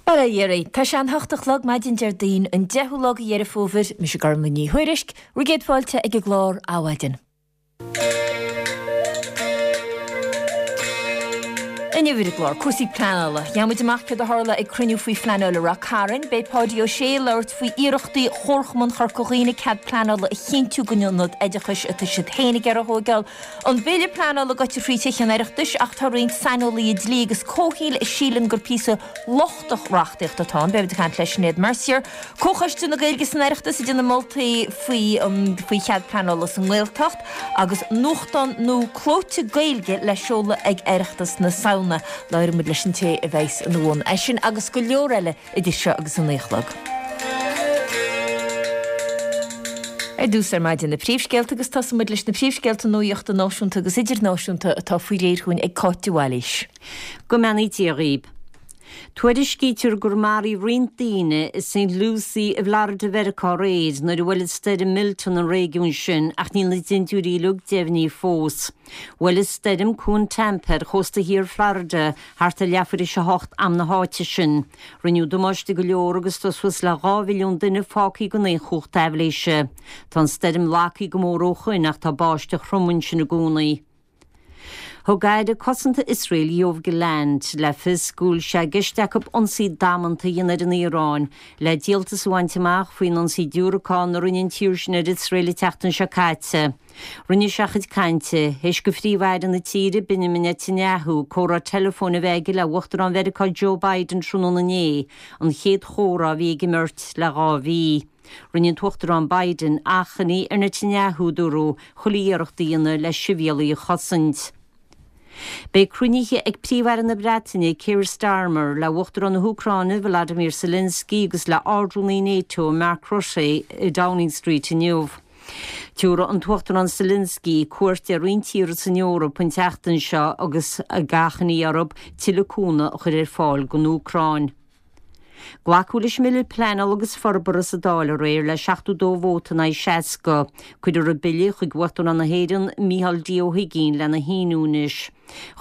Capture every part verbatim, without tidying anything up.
Bail ó Dhia oraibh. Tá sé an hocht a chlog maidin Déardaoin an deichiú lá de Dheireadh Fómhair, mise Gormlaith Ní Thuairisg, bhur gcéad fáilte ag an gclár Adhmhaidin. Inniu ar an gclár, cúrsaí pleanála. Gheobhaidh muid amach céard a tharla ag cruinniú faoi phleanáil i Ráth Cairn. Beidh Páidí Ó Sé ag labhairt faoi iarrachtaí Chomharchumann Chorca Dhuibhne cead pleanála a chinntiú don ionad oideachais atá siad féin ag iarraidh a thóigeáil. An bille pleanála gaibhte thrí Tithe an Oireachtais ach tá roinnt saineolaithe dlí agus comhshaoil a síleann gur píosa lochtach reachtaíochta atá ann. Beidh muid ag caint le Sinéad Mercier, Comhchoiste na Gaeilge san Oireachtas ag déanamh moltaí faoi faoi chead pleanála sa nGaeltacht agus nuachtán nua clóite Gaeilge le seoladh ag Oireachtas na Samhna. Labhróidh muid leis an té a bheas ina bhun. É sin agus go leor eile idir seo agus a naoi a chlog. Ar dtús ar maidin na príomhscéalta agus tosóidh muid leis na príomhscéalta nuachta náisiúnta agus idirnáisiúnta atá faoi réir chugainn ag Cáit de Bhailís. Go mbeannaí Dia dhaoib. Tuairiscítear gur maraíodh roinnt daoine i Saint Lucie i bhFlorida Mheiriceá aréir nuair a bhuail an stoirm Milton an réigiún sin ach níl na dintiúirí uilig deimhnithe fós. Bhuail an stoirm cuan Tampa ar chósta thiar Florida thart ar leathuair théis a hocht am na háite sin. Rinneadh damáiste go leor agus tá suas le dhá mhilliún duine fágtha gan aon chumhacht aibhléise. Tá an stoirm lagaithe go mór ó shoin ach tá báisteach throm ansin i gcónaí. Thug Aire Cosanta Iosrael Yoav Gallant le fios go bhfuil sé i gceist acu ionsaí damanta a dhéanamh ar an Iaráin le díoltas a bhaint amach faoin ionsaí diúracán a rinne an tír sin ar Iosrael an tseachtain seo caite. Rinne sé a chuid cainte théis do Phríomh-Aire na tíre, Benjamin Netanyahu, comhrá teileafóin a bheith aige le Uachtarán Mheiriceá Joe Biden tráthnóna inné, an chéad chomhrá a bhí ag an mbeirt le dhá mhí. Rinne an tUachtarán Biden achainí ar Netanyahu, dúradh, chuile iarracht a dhéanamh le sibhialaigh a chosaint. Beidh cruinnithe ag Príomh-Aire na Breataine, Keir Starmer, le Uachtarán na hÚcráine, Volodymyr Zelensky agus le Ard-Rúnaí NATO, Mark Rutte, i Downing Street inniu. Tabharfaidh an tUachtarán Zelensky cuairt ar roinnt tíortha san Eoraip an tseachtain seo agus ag achainí orthu tuilleadh cúnamh a chur ar fáil don Úcráin. Glacadh leis an mBille Pleanála agus Forbartha sa Dáil aréir le seachtó dó vóta in aghaidh seasca. Cuirfear an bille chuig Uachtarán na hÉireann, Micheál D. Ó hUigínn lena shíniú anois.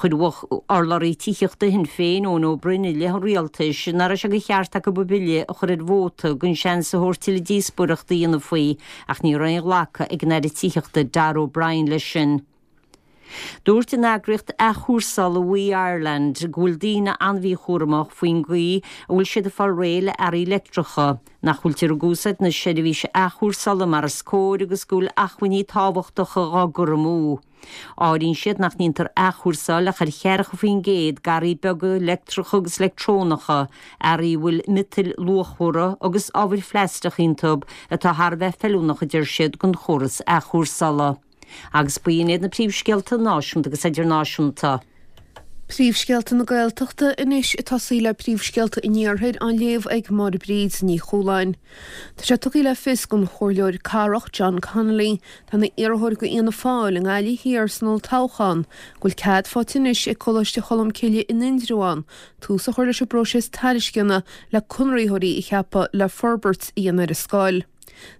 Chuir urlabhraí tithíochta Shinn Féin, Eoin Ó Broin, i leith an rialtais nach raibh sé de cheart acu an bille a chur ar vóta gan seans a thabhairt tuilleadh díospóireachta a dhéanamh faoi ach ní raibh aon ghlacadh ag an Aire Tithíochta Darragh O'Brien leis sin. Dúirt an eagraíocht athchúrsála WEEE Ireland go bhfuil daoine an-mhíchúramach faoin gcaoi a bhfuil siad ag fáil réidh le earraí leictreacha, nach bhfuiltear ag úsáid na seirbhíse athchúrsála mar is cóir agus go bhfuil acmhainní tábhachtacha á gcur amú. Áiríonn siad nach ndéantar athchúrsáil ach ar cheathracha faoin gcéad d'earraí beaga leictreacha agus leictreonacha, earraí a bhfuil miotail luachmhara agus ábhair phlaisteach iontu atá thar a bheith feiliúnach a deir siad don chóras athchúrsála. Agus b'in iad na príomhscéalta náisiúnta agus idirnáisiúnta. Príomhscéalta na Gaeltachta anois ag tosaí le príomhscéalta an Iarthair á léamh ag Máire Bríd Ní Chualáin. Tá sé tugtha le fios don Chomhairleoir Cathrach John Connolly, atá ina iarrthóir do Fhianna Fáil i nGaillimh Thiar san olltoghchán, go bhfuil cead faighte anois ag Coláiste Cholmcille in Indreabhán tús a chur leis an bpróiseas tairisceana le conraitheoirí a cheapadh le forbairt a dhéanamh ar an scoil.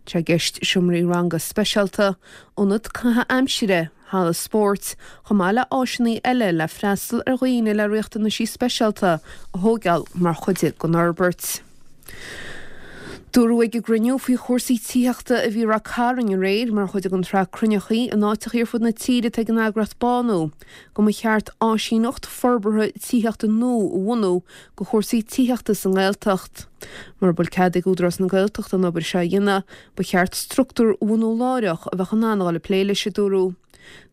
Tá sé i gceist seomraí ranga speisialta, ionad caitheamh aimsire, halla spóirt, chomh maith le áiseanna eile le freastal ar dhaoine le riachtanaisí speisialta a thóigeáil mar chuid den fhorbairt. Dúradh ag an gcruinniú faoi chúrsaí tithíochta a bhí i Ráth Cairn aréir mar chuid den tsraith cruinneachaí in áiteachaí ar fud na tíre atá ag an eagraíocht Bánú go mba cheart áisíneacht forbartha tithíochta nua a bhunú do chúrsaí tithíochta sa nGaeltacht. Mura bhfuil cead ag Údarás na Gaeltachta an obair seo a dhéanamh, ba cheart struchtúr a bhunú láithreach a bheadh in ann a dhul ag plé leis, a dúradh.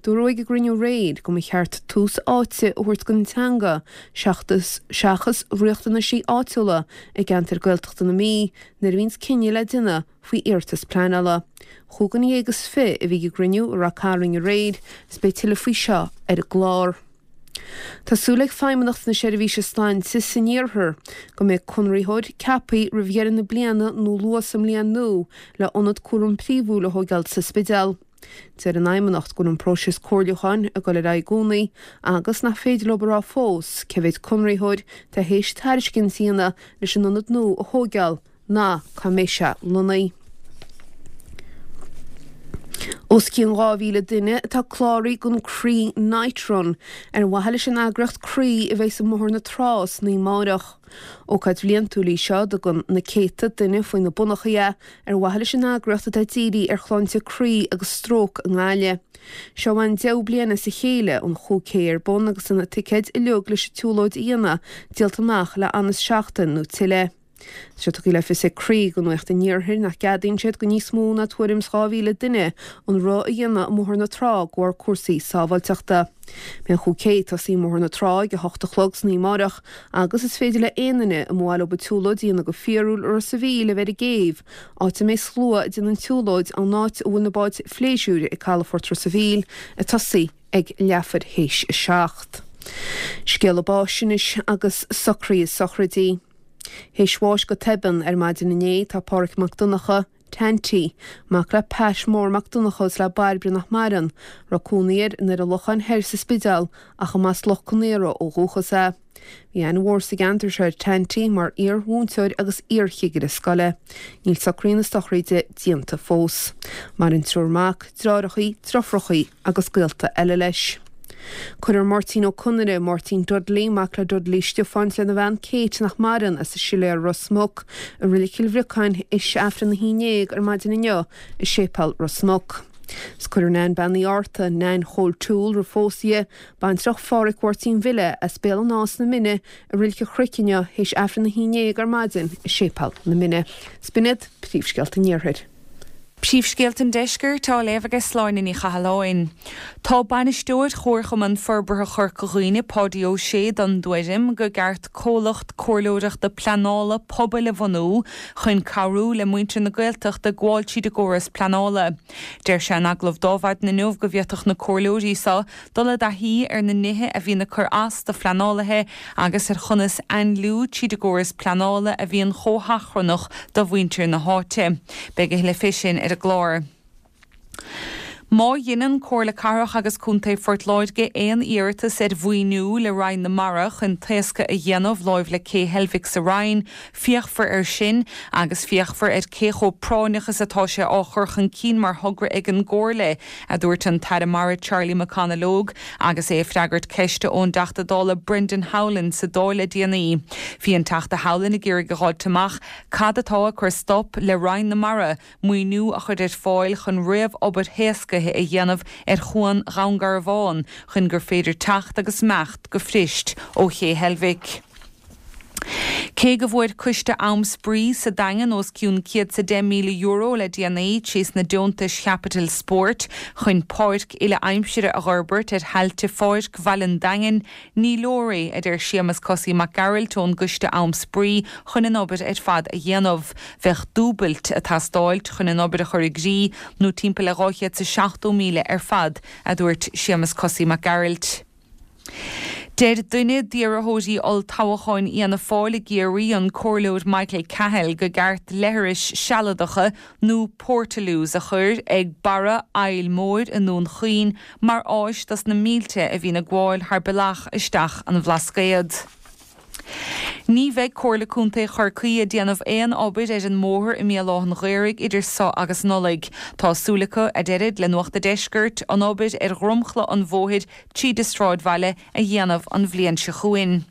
Dúradh ag an gcruinniú aréir go mba cheart tús áite a thabhairt don teanga seachas riachtanaisí áitiúla i gceantar Gaeltachta na Mí nuair a bhíonns cinneadh le déanamh faoi iarratas pleanála. Chúig dhuine dhéag is fiche a bhí ag an gcruinniú i Ráth Cairn aréir is beidh tuilleadh faoi seo ar an gclár. Tá súil ag Feidhmeannacht na Seirbhíse Sláinte san Iarthar go mbeidh conraitheoir ceaptha roimh dheireadh na bliana nó luath sa mbliain nua le ionad cúraim príomhúil a thóigeáil sa Spidéal. Deir an Fheidhmeannacht go bhfuil an próiseas comhairliúcháin ag dul ar aghaidh i gcónaí agus nach féidir leo a rá fós cé mhéad conraitheoir atá théis tairiscint a dhéanamh leis an ionad nua a thóigeáil ná cá mbeidh sé lonnaithe. Os cionn dhá mhíle duine atá cláraithe don Croí Night Run ar mhaithe leis an eagraíocht Croí a bheidh i mBóthar na Trá san oíche amárach. Ócáid bhliantúil í seo a dtugann na céadta duine faoi na bonnachaí é ar mhaithe leis an eagraíocht atá ag díriú ar shláinte croí agus stróc i nGaillimh. Seo an deichiú bliain as a chéile an chúig K ar bun agus na ticéid uilig leis an tsiúlóid a dhéanamh díolta amach le fhad is seachtain nó tuilleadh. Tá sé tugtha le fios ag Croí do Nuacht an Iarthair nach gceadaíonn siad go níos mó ná tuairim is dhá mhíle duine an rith a dhéanamh i mBóthar na Trá de bharr cúrsaí sábháilteachta. Beidh an chúig K ag tosaí i mBóthar na Trá ag a hocht a chlog san oíche amárach agus is féidir le aon duine a mba mhaith leo an tsiúlóid a dhéanamh go fíorúil i Ros a' Mhíl a bheith ar an gcéibh, áit a mbeidh slua ag déanamh an tsiúlóid ón áit a bhfuil na báid phléisiúir ag calafort Ros a' Mhíl ag tosaí ag leathuair théis a seacht. Scéala báis anois agus socruithe sochraidí. Théis bháis go tobann ar maidin inné tá Páraic Mac Donncha, Tanty, mac le Pat Mór Mac Donncha is le Bairbre nach maireann, raibh cónaí air i nDoire Locháin Thoir sa Spidéal ach a mb'as Loch Conaora ó dhúchas é. Bhí aithne mhór sa gceantar seo ar Tanty mar iar-mhúinteoir agus iar-chigire scoile. Níl socruithe na sochraide déanta fós. Maireann triúr mac, deartháireacha, deirfiúracha agus gaolta eile leis. Cuirfear Máirtín Ó Conaire, Máirtín Dudley, mac le Dudley Stiofáin lena bhean Kate nach maireann as an Siléar Ros Muc, i Reilig Chill Bhriocáin théis Aifreann a haon déag ar maidin inniu i Séipéal Ros Muc. 'S cuirfear Nan Bean Uí Fhátharta, Nan Chóil Toole roimh phósadh di, baintreach Phádhraic Mháirtín Bhille as Béal an Átha sna Mine i Reilig an Chnoic inniu théis Aifreann a haon déag ar maidin i Séipéal na Mine. 'S b'in iad príomhscéalta an Iarthair. Príomhscéalta an Deiscirt á léamh ag Sláine Ní Chathalláin. Tá bainisteoir Chomharchumann Forbartha Chorca Dhuibhne Páidí Ó Sé den tuairim gur cheart comhlacht comhairleoireachta pleanála pobail a bhunú chun cabhrú le muintir na Gaeltachta gabháil tríd an gcóras pleanála. Deir sé in agallamh d'Adhmhaidin inniu go bhféadfadh na comhairleoirí seo dul i dtaithí ar na nithe a bhíonn ag cur as do phleanálaithe agus ar chonas ainliú tríd an gcóras pleanála a bhíonn chomh hachrannach do mhuintir na háite. Beidh a thuilleadh faoi sin ar an gclár. Má dhéanann Comhairle Cathrach agus Contae Phort Láirge aon iarratas ar mhaoiniú le Roinn na Mara chun taoscadh a dhéanamh láimh le Cé Heilbhic sa Rinn, féachfar air sin agus féachfar ar cé chomh práinneach is atá sé á chur chun cinn mar thogra ag an gComhairle, a dúirt an tAire Mara Charlie McConalogue agus é ag freagairt ceiste ón dTeachta Dála Brendan Howlin sa Dáil le déanaí. Bhí an Teachta Howlin ag iarraidh a fháilt amach cad atá ag cur stop le Roinn na Mara maoiniú a chur ar fáil chun réamhobair thaoscaithe a dhéanamh ar chuan Dhún Garbhán chun gur féidir teacht agus imeacht go fuirist ó Ché Heilbhic. Cé go bhfuair Coiste Am Spraoi sa Daingean os cionn céad is a deich míle euro le déanaí trí na deontais chaipitil spóirt chun páirc uile-aimsire a fhorbairt ar thailte Pháirc Bhaile an Daingin, ní leor é a deir Séamus Cosaí Mac Gearailt ón gCoiste Am Spraoi chun an obair ar fad a dhéanamh. Bheadh dúbailt ag teastáil chun an obair a chur i gcrích nó timpeall le dhá chéad is seachtó míle ar fad, a dúirt Séamus Cosaí Mac Gearailt. Deir duine d'iarrthóirí olltoghcháin Fhianna Fáil i gCiarraí an Comhairleoir Michael Cahill gur cheart leithris sealadacha nó portaloos a chur ag barra Aill Mhóir i nDún Chaoin mar áis dos na mílte a bhíonn ag gabháil thar bealach isteach an Bhlascaod. Ní bheidh Comhairle Contae Chorcaí ag déanamh aon obair ar an mbóthar i mBéal Átha an Ghaorthaidh idir seo agus Nollaig. Tá súil acu a deirid le Nuacht an Deiscirt an obair ar dhromchla an bhóthair tríd an sráidbhaile a dhéanamh an bhliain seo chugainn.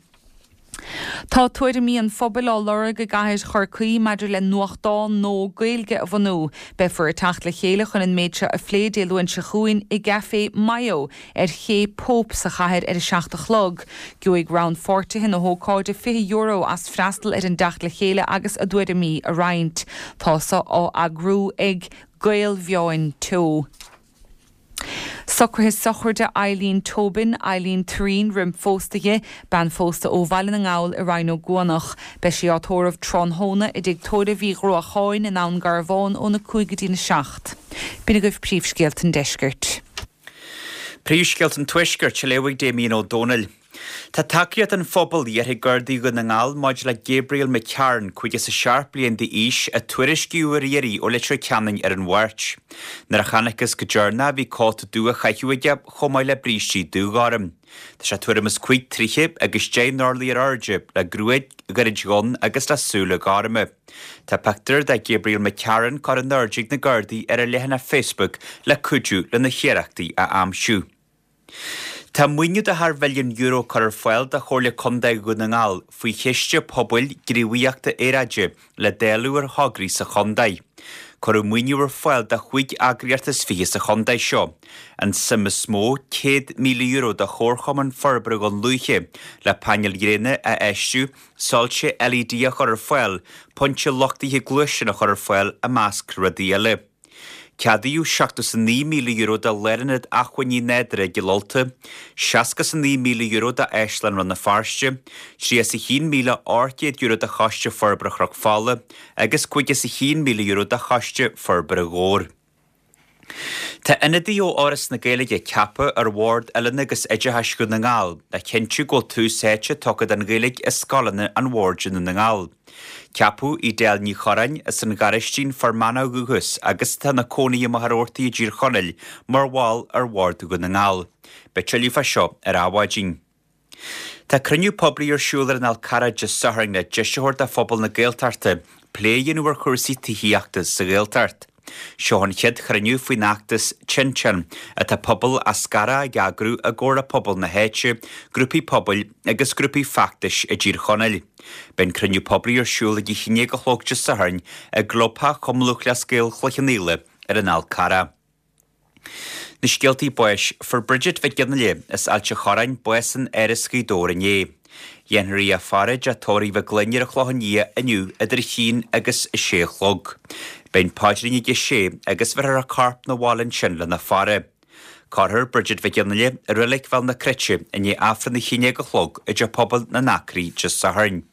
Tá tuairimí an phobail á lorg i gcathair Chorcaí maidir le nuachtán nua Gaeilge a bhunú. Beifear ag teacht le chéile chun an méid seo a phlé Dé Luain seo chugainn i gCafé Mayo ar Ché Pope sa chathair ar a seacht a chlog. Gheobhaidh rannpháirtithe na hócáide fiche euro as freastal ar an dteacht le chéile agus a dtuairimí a roinnt. Tá seo á eagrú ag Gaelmheáin Teo. Socruithe sochraide Eileen Tobin, Eileen Turín roimh phósadh di, bean phósta ó Bhaile na nGall i Rinn Ó gCuanach. Beidh sí á tórramh tráthnóna i dtigh tórraimh Uí Ghruacháin in Abhainn Garbhán óna cúig go dtí na seacht. B'in agaibh príomhscéalta an deiscirt. Príomhscéalta an tuaiscirt á léamh ag Damien Ó Dónaill. Tá tacaíocht an phobail iarrtha ag Gardaí Dhún na nGall maidir le Gabriel McCarron, caoga is a seacht bliain d'aois, a tuairiscíodh ar iarraidh ó Leitir Ceanainn ar an Mháirt. Nuair a chonacthas go deireanach bhí cóta dubh á chaitheamh aige chomh maith le brístí dúghorm. Tá sé tuairim is cúig troithe agus deich n-orlaí ar airde, le gruaig ghairid dhonn agus le súile gorma. Tá pictiúr de Gabriel McCarron curtha in airde ag na Gardaí ar a leathanach Facebook le cuidiú lena hiarrachtaí a aimsiú. Tá maoiniú de thar mhilliún euro curtha ar fáil do Chomhairle Contae Dhún na nGall faoi Chiste Pobail Gníomhaíochta Aeráide le dáileadh ar thograí sa chontae. Cuireadh maoiniú ar fáil do chúig eagraíocht is fiche sa chontae seo. An suim is mó, céad míle euro do Chomharchumann Forbartha Dhún Lúiche le painéil ghréine a fheistiú, soilse LED a chur ar fáil, pointe luchtaithe gluaisteán a chur ar fáil i measc rudaí eile. Ceadaíodh seachtó is a naoi míle euro do Lárionad Acmhainní Nádúrtha i gCill Ulta, seasca is a naoi míle euro d'Áislann Rann na Feirste, tríocha is a haon míle ocht gcéad euro do Choiste Forbartha Chnoc Fola agus caoga is a haon míle euro do Choiste Forbartha Dhobhair. Tá ionadaí ó Fhoras na Gaeilge ceaptha ar Bhord Oiliúna agus Oideachais Dhún na nGall le cinntiú go bhfuil tús áite tugtha don Ghaeilge i scoileanna an Bhoird i nDún na nGall. Ceapadh Edel Ní Chorráin as an Ghairaistín, Fear Manach ó dhúchas agus atá ina cónaí i Machaire Rabhartaigh i dTír Chonaill mar bhall ar Bhord Dhún na nGall. Beidh tuilleadh fá seo ar Adhmhaidin. Tá cruinniú poiblí ar siúl ar an Fhál Carrach Dé Sathairn le deis a thabhairt do phobal na Gaeltachta plé a dhéanamh ar chúrsaí tithíochta sa Ghaeltacht. Seo an chéad chruinniú faoin fheachtas Tinteán atá pobal Eascarrach ag eagrú i gcomhar le pobal na háite, grúpaí pobail agus grúpaí feachtais i dTír Chonaill. Beidh an cruinniú poiblí ar siúl ag a haon déag a chlog Dé Sathairn i gClubtheach Chumann Lúthchleas Gael Chloich Cheann Fhaola ar an Fhál Carrach. Na scéaltaí báis, Fuair Bridget Mhic Fhionnghaile as Ailt a' Chorráin bás in Áras Ghaoth Dobhair inné. Dhéanfar í a faire i dteach tórraimh Mhic Gloinn ar an Chlochán Liath inniu idir a haon agus a sé a chlog. Beidh an paidrín ag a sé agus bheirfear a corp 'na bhaile ansin lena faire. Cuirfear Bridget Mhic Fhionnghaile i Reilig Bhéal na Cruite i ndiaidh Aifreann a haon déag a chlog i dTeach Pobail na nAcraí Dé Sathairn.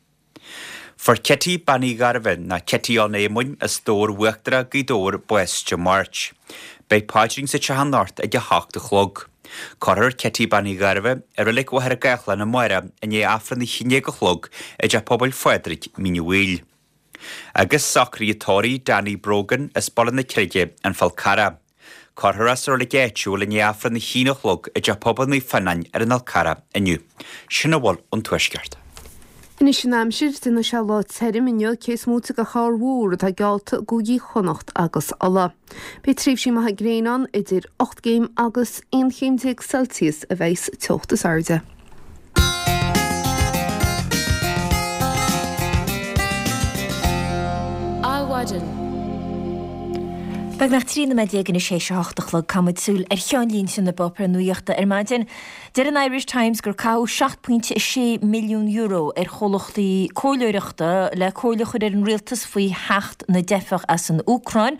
Fuair Kitty Bean Uí Ghairbhith, nó Kitty Ann Éamoinn, as Dobhar Uachtarach, Gaoth Dobhair, bás Dé Máirt. Beidh paidrín sa teach anocht ag a hocht a chlog. Cuirfear Kitty Bean Uí Ghairbhith i Reilig Mhachaire Gathlán amárach i ndiaidh Aifreann a haon déag a chlog i dTeach Pobail Phádraig, Mín an Mhaoil. Agus socruithe tórraimh Danny Brogan as Baile na Creige, An Fál Carrach. Cuirfear é sa reilig áitiúil i ndiaidh Aifreann a haon a chlog i dTeach Pobail Naomh Fionnáin ar an Fhál Carrach inniu. Sin a bhfuil ón Tuaisceart. Anois an aimsir, déanfaidh sé lá tirim inniu cé is móite de chorrmhúr atá geallta i gcúigí Chonnacht agus Uladh. Beidh tréimhsí maithe gréine ann, idir ocht gcéim agus aon chéim déag Celsius a bheidh sa teocht is airde. Adhmhaidin. Beagnach trí nóiméad déag anois théis a hocht a chlog, caithfimid súil ar cheannlínte na bpáipéar nuachta ar maidin. Deir an Irish Times gur caitheadh seacht pointe a sé milliún euro ar chomhlachtaí comhairleoireachta le comhairle a chur ar an rialtas faoi theacht na dteifeach as an Úcráin.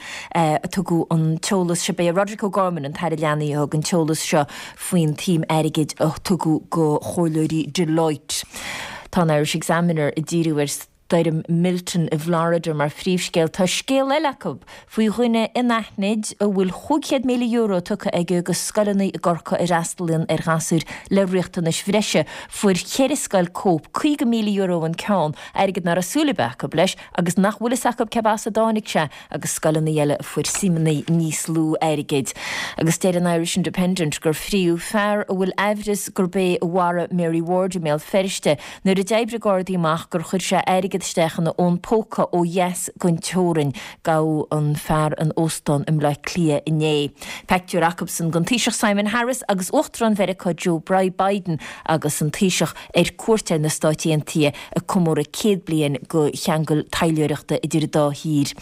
Tugadh an t-eolas seo, b'é Roderic O'Gorman, an tAire Leanaí, a thug an t-eolas seo faoin tsuim airgid a tugadh go chomhairleoirí Deloitte. Tá an Irish Examiner ag díriú ar Stoirm Milton i bhFlorida mar phríomhscéal. Tá scéal eile acu faoi dhuine anaithnid a bhfuil chúig chéad míle euro tugtha aige do scoileanna i gCorcaigh a fhreastalaíonn ar ghasúir le riachtanais bhreise. Fuair ceithre scoil cóip, caoga míle euro an ceann, airgead nach raibh súil ar bith acu leis agus nach bhfuil fhios acu cé as a dtáinig sé, agus scoileanna eile a fuair suimeanna níos lú airgid. Agus deir an Irish Independent gur fríodh fear a bhfuil aimhreas gurb é a mharaigh Mary Ward i mBéal Feirste nuair a d'oibrigh Gardaí amach gur chuir sé airgead isteach ina fhón póca ó dheas den teorainn. Gabhadh an fear in óstán i mBleá Cliath inné. Pictiúr acusan den Taoiseach Simon Harris agus Uachtarán Mheiriceá Joe Biden agus an Taoiseach ar cuairt ar na Stáit Aontaithe ag comóradh céad bliain de cheangal taidhleoireachta idir an dá thír.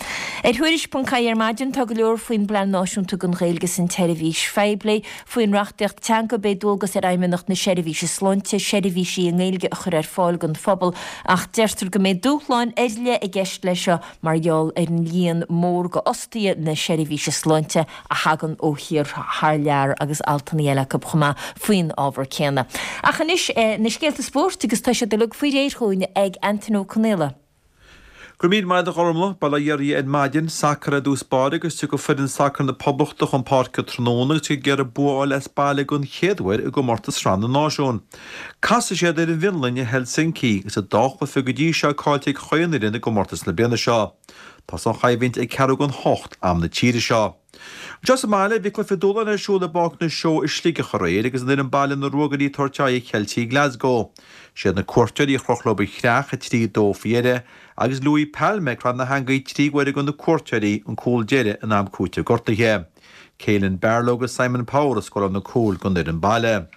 Ar Thuairisc ponc ie ar maidin tá go leor faoin bPlean Náisiúnta don Ghaeilge san tSeirbhís Phoiblí. Faoin reachtaíocht teanga beidh dualgas ar Fheidhmeannacht na Seirbhíse Sláinte seirbhísí i nGaeilge a chur ar fáil don phobal ach deirtear go mbeidh dúshláin ar leith i gceist leis seo mar gheall ar an líon mór d'fhostaithe na seirbhíse sláinte a thagann ó thíortha thar lear agus altanna eile acu chomh maith faoin ábhar céanna. Ach anois na scéalta spóirt agus tá siad uilig faoi réir chugainn ag Antain Ó Conaola. Go raibh míle maith agat a Ghormlaith, bail ó Dhia oraibh ar maidin, sacar i dtús báire agus tiocfaidh foireann sacair na Poblachta chun páirce tráthnóna agus iad ag iarraidh bua a fháil as baile den chéad uair i gcomórtas Sraith na Náisiún. Casfaidh siad ar an bhFionlainn i Helsinki agus an dá chluiche go dtí seo caillte ag chaon fhoireann i gcomórtas na bliana seo. Tá an choimhlint ag ceathrú don hocht am na tíre seo. Anseo sa mbaile, bhí cluiche dúshláin ar siúl i bPáirc na Seó i Sligeach aréir agus an fhoireann baile na Ruagairí ag tabhairt aghaidh ar Cheiltigh Glasgow. Siad na cuairteoirí a chroch leo an chreach, a trí a dó faoi dheireadh, agus Louis Palma ag cur na heangaí trí huaire do na cuairteoirí an cúl deiridh in am cúitimh gortaithe. Caelan Barlow agus Simon Power a scóráil na cúil don fhoireann baile.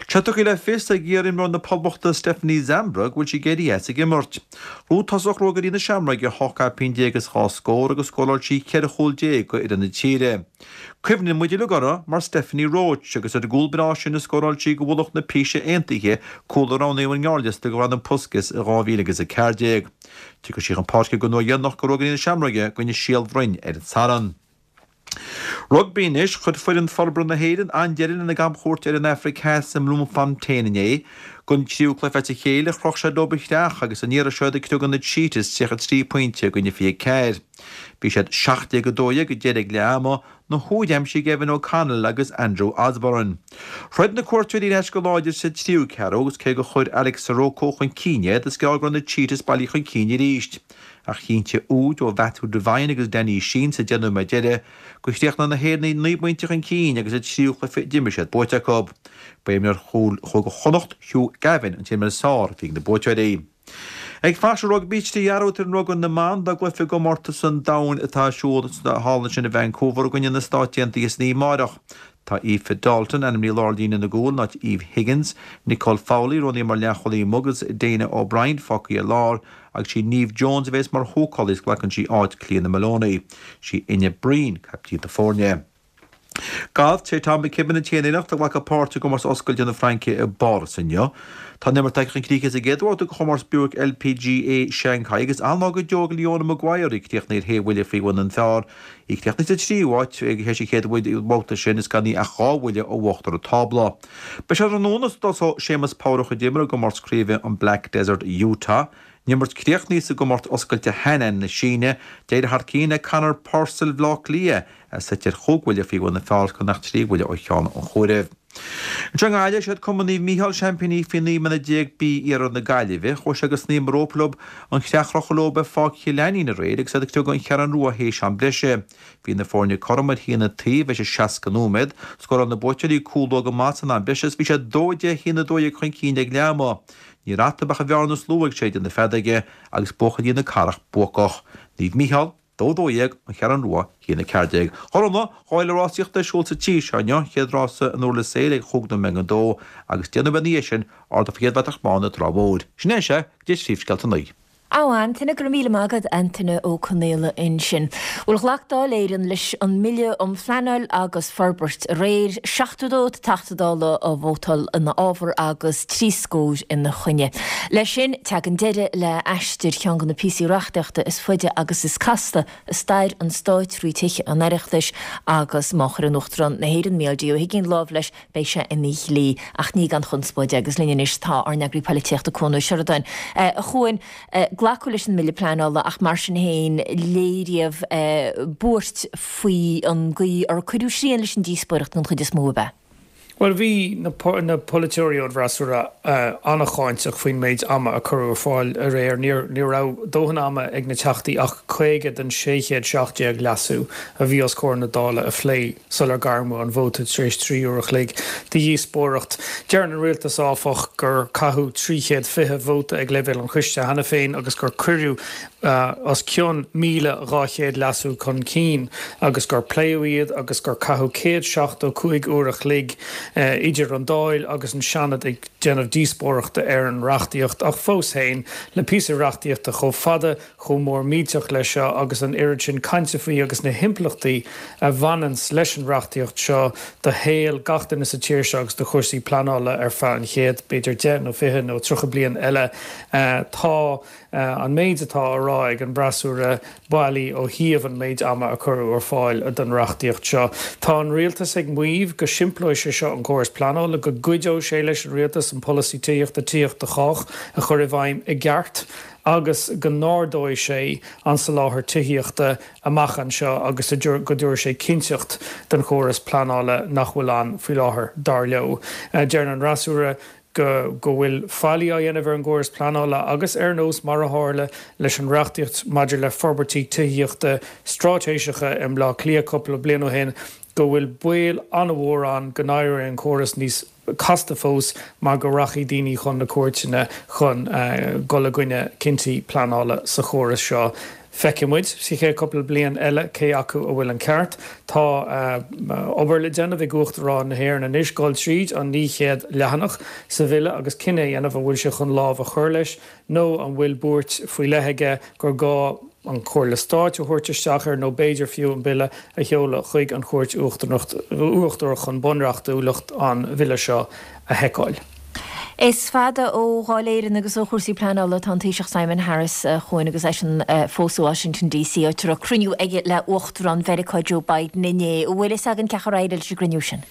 Tá tugtha le fios ag iarimreoir na Poblachta Stephanie Zambra go bhfuil sí ag éirí as ag imirt. Ghnóthaigh tosach Ruagairí na Seamróige ocht gcaipín déag is dhá scór agus scóráil sí ceithre chúl déag do fhoireann na tíre. Cuimhníonn muid uilig uirthi mar Stephanie Roche agus ar an gcúl breá sin a scóráil sí do mhullach na Píse Aontaithe, cúl a roghnaíodh ar an ngearrliosta do Ghradam Puskas i dhá mhíle agus a ceathair déag. Tiocfaidh sí chun páirce don uair dheireanach do Ruagairí na Seamróige i gcoinne Síol Bhroin ar an Satharn. Rugbaí anois, chuir foireann forbartha na hÉireann an-deireadh lena gcamchuairt ar an Afraic Theas i mBloemfontein inné. Don tríú cluiche as a chéile, chroch siad leo an chreach agus an iarraidh seo iad ag criogadh na Cheetahs tríocha trí pointe i gcoinne fiche ceathair. Bhí siad seacht déag a dó dhéag ag deireadh ag leath ama, na húid aimsithe ag Evan O'Connell agus Andrew Osborne. Throid na cuairteoirí ar ais go láidir sa tríú ceathrú agus cé gur chuir Alex Sirocco chun cinn iad, is gearr go raibh na Cheetahs bailithe chun cinn arís. Ach chinntigh úid ó Mhatthew Devine agus Danny Sheehan sa deich nóiméad deiridh gur chríochnaigh na hÉireannaigh naoi bpointe chun cinn agus an tríú cluiche a d'imir siad buaite acu. Ba é imreoir chúil Chúige Chonnacht, Hugh Gavin, an t-imreoir is fearr a bhí ag na buaiteoirí. Ag fanacht sa rugbaí, trí athrú ar an rugbaí na mban dá gcluiche i gcomórtas an domhain atá ar siúl thall ansin i Vancouver i gcoinne na Stát Aontaithe san oíche amárach. Tá Aoife Dalton ainmnithe i lár líne na gcúl in áit Eve Higgins, Nicole Fowley roghnaithe mar leathchúlaí amuigh agus Dana O'Brien fágtha ar lár agus sí Neve Jones a bheas mar húcálaí is glacann sí áit Clíona Moloney. Sí Enya Breen caiptín na foirne. Galf, Sé Tom McKibbin an t-aon Éireannach a ghlacfaidh páirt i gcomórtas oscailte na Fraince i bPáras inniu. Tá an imirt tagtha chun críche sa gcéad bhabhta de chomórtas Buick LPGA Shanghai agus an-lá go deo ag Leona Maguire, í críochnaithe ar shé bhuille faoi bhun an phar. Í críochnaithe sa tríú háit théis an chéad bhabhta sin is gan í ach dhá bhuille ó uachtar an tábla. Beidh sé tráthnóna sa dtosóidh Séamus Power a chuid imeartha i gcomórtas craoibhe an Black Desert Utah. An imirt críochnaithe sa gcomórtas oscailte Hainan na Síne, d'éirigh thar cionn le Conor Purcell Bhaile Átha Cliath, é suite ar chúig bhuille faoi bhun an phar gan ach trí bhuille ó cheann an chomhairimh. Anseo i nGaillimh, siad Cumann Naomh Mícheál seaimpíní faoi naoi mbliana déag B Iarthar na Gaillimhe. Chuaigh siad go sníomh rópa leo an chreach a chrochadh leo ar Pháirc Chill Ainnín aréir agus iad ag criogadh an Cheathrú Rua théis am breise. Bhí na foirne cothrom ar haon an taobh théis seasca nóiméad. Scóráil na buaiteoirí cúl luath go maith san am breise is bhí siad dó a deich a haon a dó dhéag chun cinn ag leath ama. Ní raibh eatarthu ach an bhearna is lú ag séideadh na feadóige agus buachaillí na Cathrach buacach. Naomh Mícheál, dó a dó dhéag, An Cheathrú Rua, a haon a ceathair déag. A Ghormfhlaith, dhá fhéile rásaíochta ar siúl sa tír seo inniu, chéad rása in Durlas Éile ag chúig nóiméad don dó agus deich nóiméad ina dhiaidh sin, ardach faoi chéad bhratach bán i dTrá Mhór. Sin é sea, go dtí príomhscéalta a naoi. A Antaine, go raibh míle maith agat, Antaine Ó Conaola ansin. Bhuel, ghlac Dáil Éireann leis an mBille um Phleanáil agus Forbairt aréir, seachtó dó Teachta Dála a vótáil ina fhábhar agus trí scór ina choinne. Leis sin, tagann deireadh le aistear cheann de na píosaí reachtaíochta is faide agus is casta i stair an stáit trí Thithe an Oireachtais agus má chuireann Uachtarán na hÉireann, Mícheál D. Ó hUigínn, lámh leis, beidh sé ina dhlí, ach ní gan chonspóid é. Agus linn anois tá ár n-eagraí polaitíochta Cuan Ó Seireadáin. A Chuain, glacadh leis an mBille Pleanála ach mar sin féin léiríodh buairt faoi an gcaoi ar cuireadh srian leis an díospóireacht den chuid is mó, ab ea? Bhuel, bhí na polaiteoirí ón bhfreasúra an-cháinteach faoin méid ama a cuireadh ar fáil aréir. Ní raibh dóthain ama ag na Teachtaí ach caoga den sé chéad seacht déag leasú a bhí os comhair na Dála a phlé sular gairmeadh an vóta tar éis trí uair a chloig de dhíospóireacht. Deireann an rialtas, áfach, gur caitheadh trí chéad fiche vóta ag leibhéal an choiste cheana féin agus gur cuireadh os cionn míle dhá chéad leasú chun cinn agus gur pléadh iad agus gur caitheadh céad seachtó cúig uair a chloig idir an Dáil agus an Seanad ag déanamh díospóireachta ar an reachtaíocht. Ach fós féin, le píosa reachtaíochta chomh fada, chomh mór millteach leis seo agus an oiread sin cainte faoi agus na himpleachtaí a bhaineanns leis an reachtaíocht seo do shaol gach duine sa tír seo agus do chúrsaí pleanála ar feadh an chéad, b'fhéidir, deich nó fiche nó tríocha bliain eile, tá an méid atá á rá ag an bhfreasúra bailí ó thaobh an méid ama a cuireadh ar fáil don reachtaíocht seo. Tá an rialtas ag maíomh go simpleoidh sé seo an córas pleanála, go gcuideoidh sé leis an rialtas an polasaí tithíochta, Tithíocht do Chách, a chur i bhfeidhm i gceart agus go n-ardóidh sé an soláthar tithíochta amach anseo agus go dtabharfaidh sé cinnteacht don chóras pleanála nach bhfuil ann faoi láthair, dar leo. Deir an fhreasúra go go bhfuil faillí á dhéanamh ar an gcóras pleanála agus ar nós mar a tharla leis an reachtaíocht maidir le forbairtí tithíochta straitéiseacha i mBleá Cliath cúpla bliain ó shin, go bhfuil baol an-mhór ann go n-éireoidh an córas níos casta fós mar go rachaidh daoine chun na cúirteanna chun dul i gcoinne cinntí pleanála sa chóras seo. Feicfidh muid sa chéad cúpla bliain eile cé acu a bhfuil an ceart. Tá obair le déanamh ag Uachtarán na hÉireann anois dul tríd an naoi chéad leathanach sa bhille agus cinneadh a dhéanamh an bhfuil sé chun lámh a chur leis nó an bhfuil buairt faoi leith aige gur gá an Chomhairle Stáit a thabhairt isteach air nó b'fhéidir fiú an bille a sheoladh chuig an Chúirt Uachtarach chun bunreachtúlacht an bhille seo a sheiceáil. Is fada ó Dháil Éireann agus ó chúrsaí pleanála atá an Taoiseach Simon Harris chugainn agus eisean fós i Washington DC áit a raibh cruinniú aige le Uachtarán Mheiriceá Joe Biden inné. An bhfuil fhios againn cén chaoi ar éirigh leis an gcruinniú sin?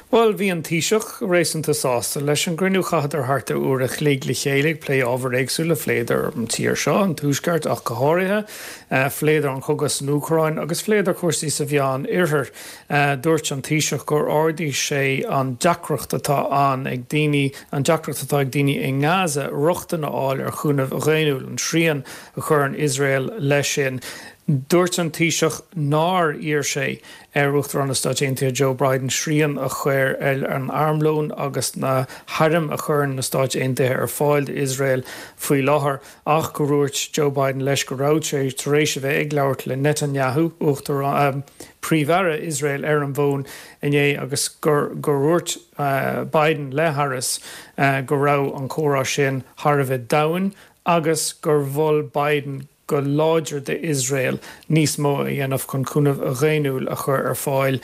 Bhuel, bhí an Taoiseach réasúnta sásta leis an gcruinniú. Chaitheadar thart ar uair a chloig le chéile ag plé ábhair éagsúla, phléadar an tír seo, an Tuaisceart ach go háirithe, phléadar an cogadh san Úcráin agus phléadar cúrsaí sa Mheán Oirthear. Dúirt an Taoiseach gur ardaigh sé an deacracht atá ann ag daoine, an deacracht atá ag daoine i nGaza rochtain a fháil ar chúnamh dhaonnúil, an srian a chuireann Iosrael leis sin. Dúirt an Taoiseach nár iarr sé ar Uachtarán na Stáit Aontaithe Joe Biden srian a chur ar an armlón agus na hairm a chuireann na Stáit Aontaithe ar fáil d'Iosrael faoi láthair ach go ndúirt Joe Biden leis go raibh sé tar éis a bheith ag labhairt le Netanyahu, Uachtarán, Príomh-Aire Iosrael ar an bhfón inné agus gur gur dhúirt Biden le Harris go raibh an comhrá sin thar a bheith domhain agus gur mhol Biden go láidir d'Iosrael níos mó a dhéanamh chun cúnamh dhaonnúil a chur ar fáil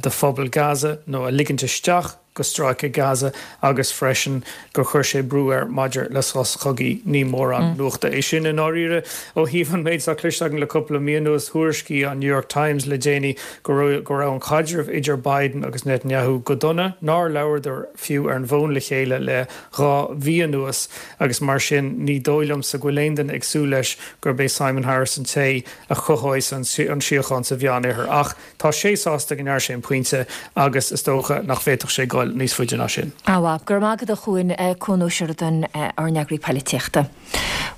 do phobal Gaza nó a ligint isteach go Stráice Gaza agus freisin gur chuir sé brú air maidir le sos cogaidh. Ní mórán nuachta é sin i ndáiríre ó thaobh an méid atá cloiste againn le cúpla mí anuas. Thuairiscigh an New York Times le déanaí go raibh go raibh an caidreamh idir Biden agus Netanyahu go dona, nár labhradar fiú ar an bhfón le chéile le dhá mhí anuas agus mar sin ní dóigh liomsa go bhfuil aon duine ag súil leis gurb é Simon Harris an té a chothóidh an síocháin sa Mheán-Oirthear. Ach tá sé sásta go ndearna sé an pointe agus is dócha nach bhféadfadh sé dul níos faide ná sin. Á, go raibh maith agat a Chuain, Cuan Ó Seireadáin, ár n-eagraí poilitíochta.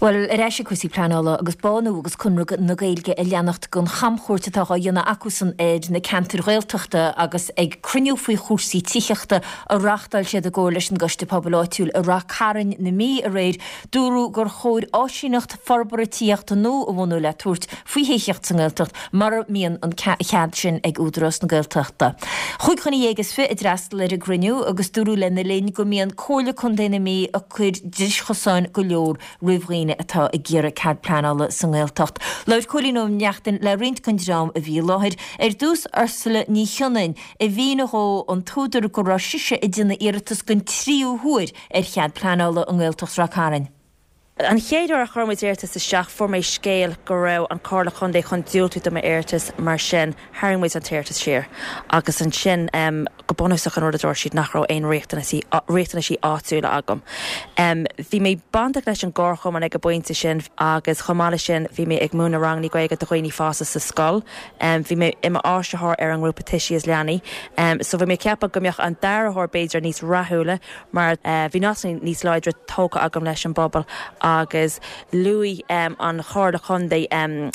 Bhuel, ar ais ag cúrsaí pleanála agus Bánú agus Conradh na Gaeilge ag leanacht den chamchuairt atá á dhéanamh acusan ar na ceantair Ghaeltachta agus ag cruinniú faoi chúrsaí tithíochta a reáchtáil siad i gcomhar leis an gCoiste Pobail Áitiúil i Rath Cairn na Mí aréir, dúradh gur chóir áisíneacht forbartha tithíochta nua a bhunú le tabhairt faoi thithíocht sa nGaeltacht mura mbíonn an cead sin ag Údarás na Gaeltachta. Chúig dhuine dhéag is fiche a d'fhreastail ar an gcruinniú agus dúradh lena linn go mbíonn Comhairle Contae na Mí ag cur driseachosáin go leor roimh dhaoine atá ag iarraidh cead pleanála sa nGaeltacht. Labhair Cóilín Ó Neachtain le roinnt den dream a bhí i láthair. Ar dtús Ursula Ní Chionnain, a mhínigh dhó an t-údar go raibh sise ag déanamh iarratas den tríú huair ar chead pleanála i nGaeltacht Ráth Cairn. An chéad uair a chuir muid iarratas isteach fuair mé scéal go raibh an Comhairle Contae chun diúltú do m'iarratas mar sin tharraing muid an t-iarratas siar agus ansin um, go bunúsach an rud a dúirt siad nach raibh aon riachtanaisí riachtanaisí áitiúla agam. Um, bhí mé bainteach leis an gcomharchumann ag an bpointe sin agus chomh maith leis sin bhí mé ag múineadh ranganna Gaeilge do dhaoine fásta sa scoil. Um, bhí mé i m'áisitheoir ar an ngrúpa Tuisí is Leanaí. Um, so bhí mé ceapadh go mbeadh an dara huair b'fhéidir níos rathúla mar uh, bhí nasc níos láidre tógtha agam leis an bpobal agus luaigh um, an Chomhairle Contae um,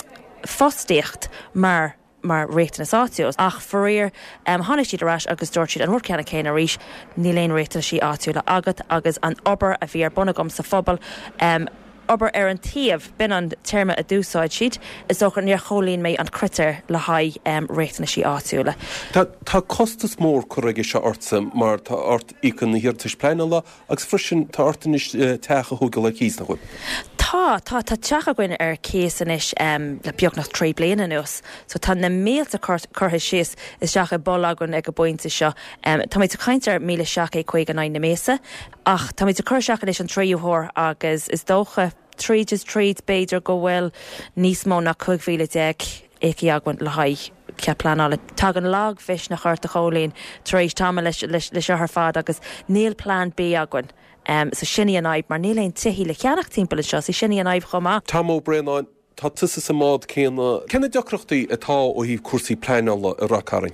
fostaíocht mar mar riachtanas áitiúil. Ach faraor um, tháinig siad ar ais agus dúirt siad an rud ceanna céanna arís níl aon riachtanaisí áitiúla agat agus an obair a bhí ar bun agam sa phobal um, obair ar an taobh b'in an téarma a d'úsáid siad is dócha níor chomhlíon mé an critéar le haghaidh um, riachtanaisí áitiúla. Tá, tá costas mór curtha aige seo ortsa mar tá ort íoc na hiarratais pleanála agus freisin tá ort anois eh, teach a thógáil ar cíos nach bhfuil. Tá tá tá teach againn ar cíos anois um, le beagnach trí bliana anuas, so tá na mílte curtha síos isteach i bpoll againn ag an bpointe seo. Um, tá muid ag caint ar míle seacht gcéad caoga in aghaidh na míosa, ach tá muid ag cur isteach anois an tríú huair agus is dócha tríd is tríd b'fhéidir go bhfuil níos mó ná cúig mhíle déag íoctha againn le haghaidh cead pleanála. Tagann lagmhisneach ort a Chóilín tar éis tamall leis leis leis seo ar fad agus níl plean B againn. So sin í an fhadhb mar níl aon tithe le ceannach timpeall anseo, so sin í an fhadhb chomh maith. Tom Ó Braonáin, Tá tusa sa mbád céanna. Cé na deacrachtaí atá ó thaobh cúrsaí pleanála i Ráth Cairn?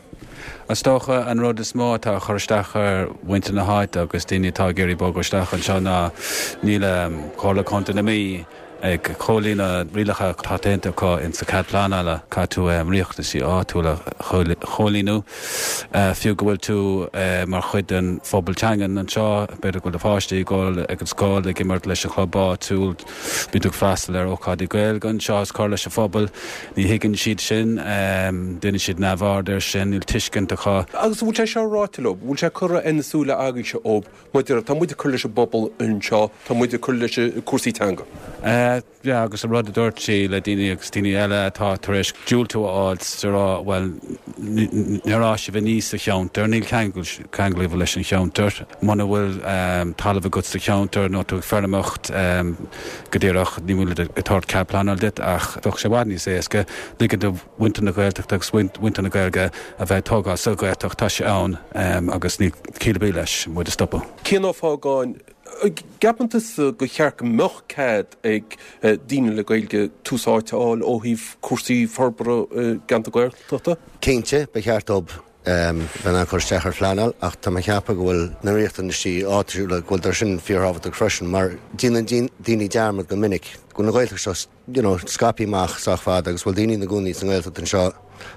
Is dócha an rud is mó atá ag cur isteach ar mhuintir na háite agus daoine atá ag iarraidh bogadh isteach anseo ná níl Comhairle Contae na Mí ag comhlíonadh rialacha atá déanta acu insa chead pleanála. Caithfidh tú riachtanaisí áitiúla a chomhlíonadh fiú go bhfuil tú mar chuid den phobal teangan anseo, b'fhéidir go bhfuil do pháistí ag dul ag an scoil, ag imirt leis an chlub áitiúil, bíonn tú ag freastal ar ócáidí Gaeilge anseo is cur leis an phobal. Ní thuigeann siad sin, déanann siad neamhaird air sin, níl tuiscint acu. Agus an bhfuil sé seo ráite leo? Bhfuil sé curtha ar na súile agaibhse ó maidir, tá muid ag cur leis an bpobal anseo, tá muid ag cur leis cúrsaí teanga. Yeah, agus an rud a dúirt sí le daoine agus daoine eile atá tar éis diúltú a fháil is a rá, bhuel, níor fhás sibh aníos sa cheantar, níl ceangal ceangal agaibh leis an cheantar, muna bhfuil talamh agat sa cheantar nó tú ag feirmeoireacht go díreach, ní bhfuil ag tabhairt cead pleanála duit ach bheadh sé i bhfad níos éasca ligean do mhuintir na Gaeltachta agus mhuintir na Gaeilge a bheith ag tógáil sa Ghaeltacht, tá sé ann agus níl ciall ar bith leis muid a stopadh. Cian Ó Fágáin, gceapann tusa gur cheart go mbeadh cead ag daoine le Gaeilge tús áite a fháil ó thaobh cúrsaí forbartha i gceantar Gaeltachta? Cinnte, ba cheart dóibh bheith in ann cur isteach ar phleanáil ach tá mé ag ceapadh go bhfuil na riachtanaisí áitiúla, go bhfuil sin fíorthábhachtach freisin mar déanann daoine dearmad go minic go bhfuil an Ghaeltacht seo you know, scaipthe amach sách fada agus bhfuil daoine ina gcónaí sa nGaeltacht anseo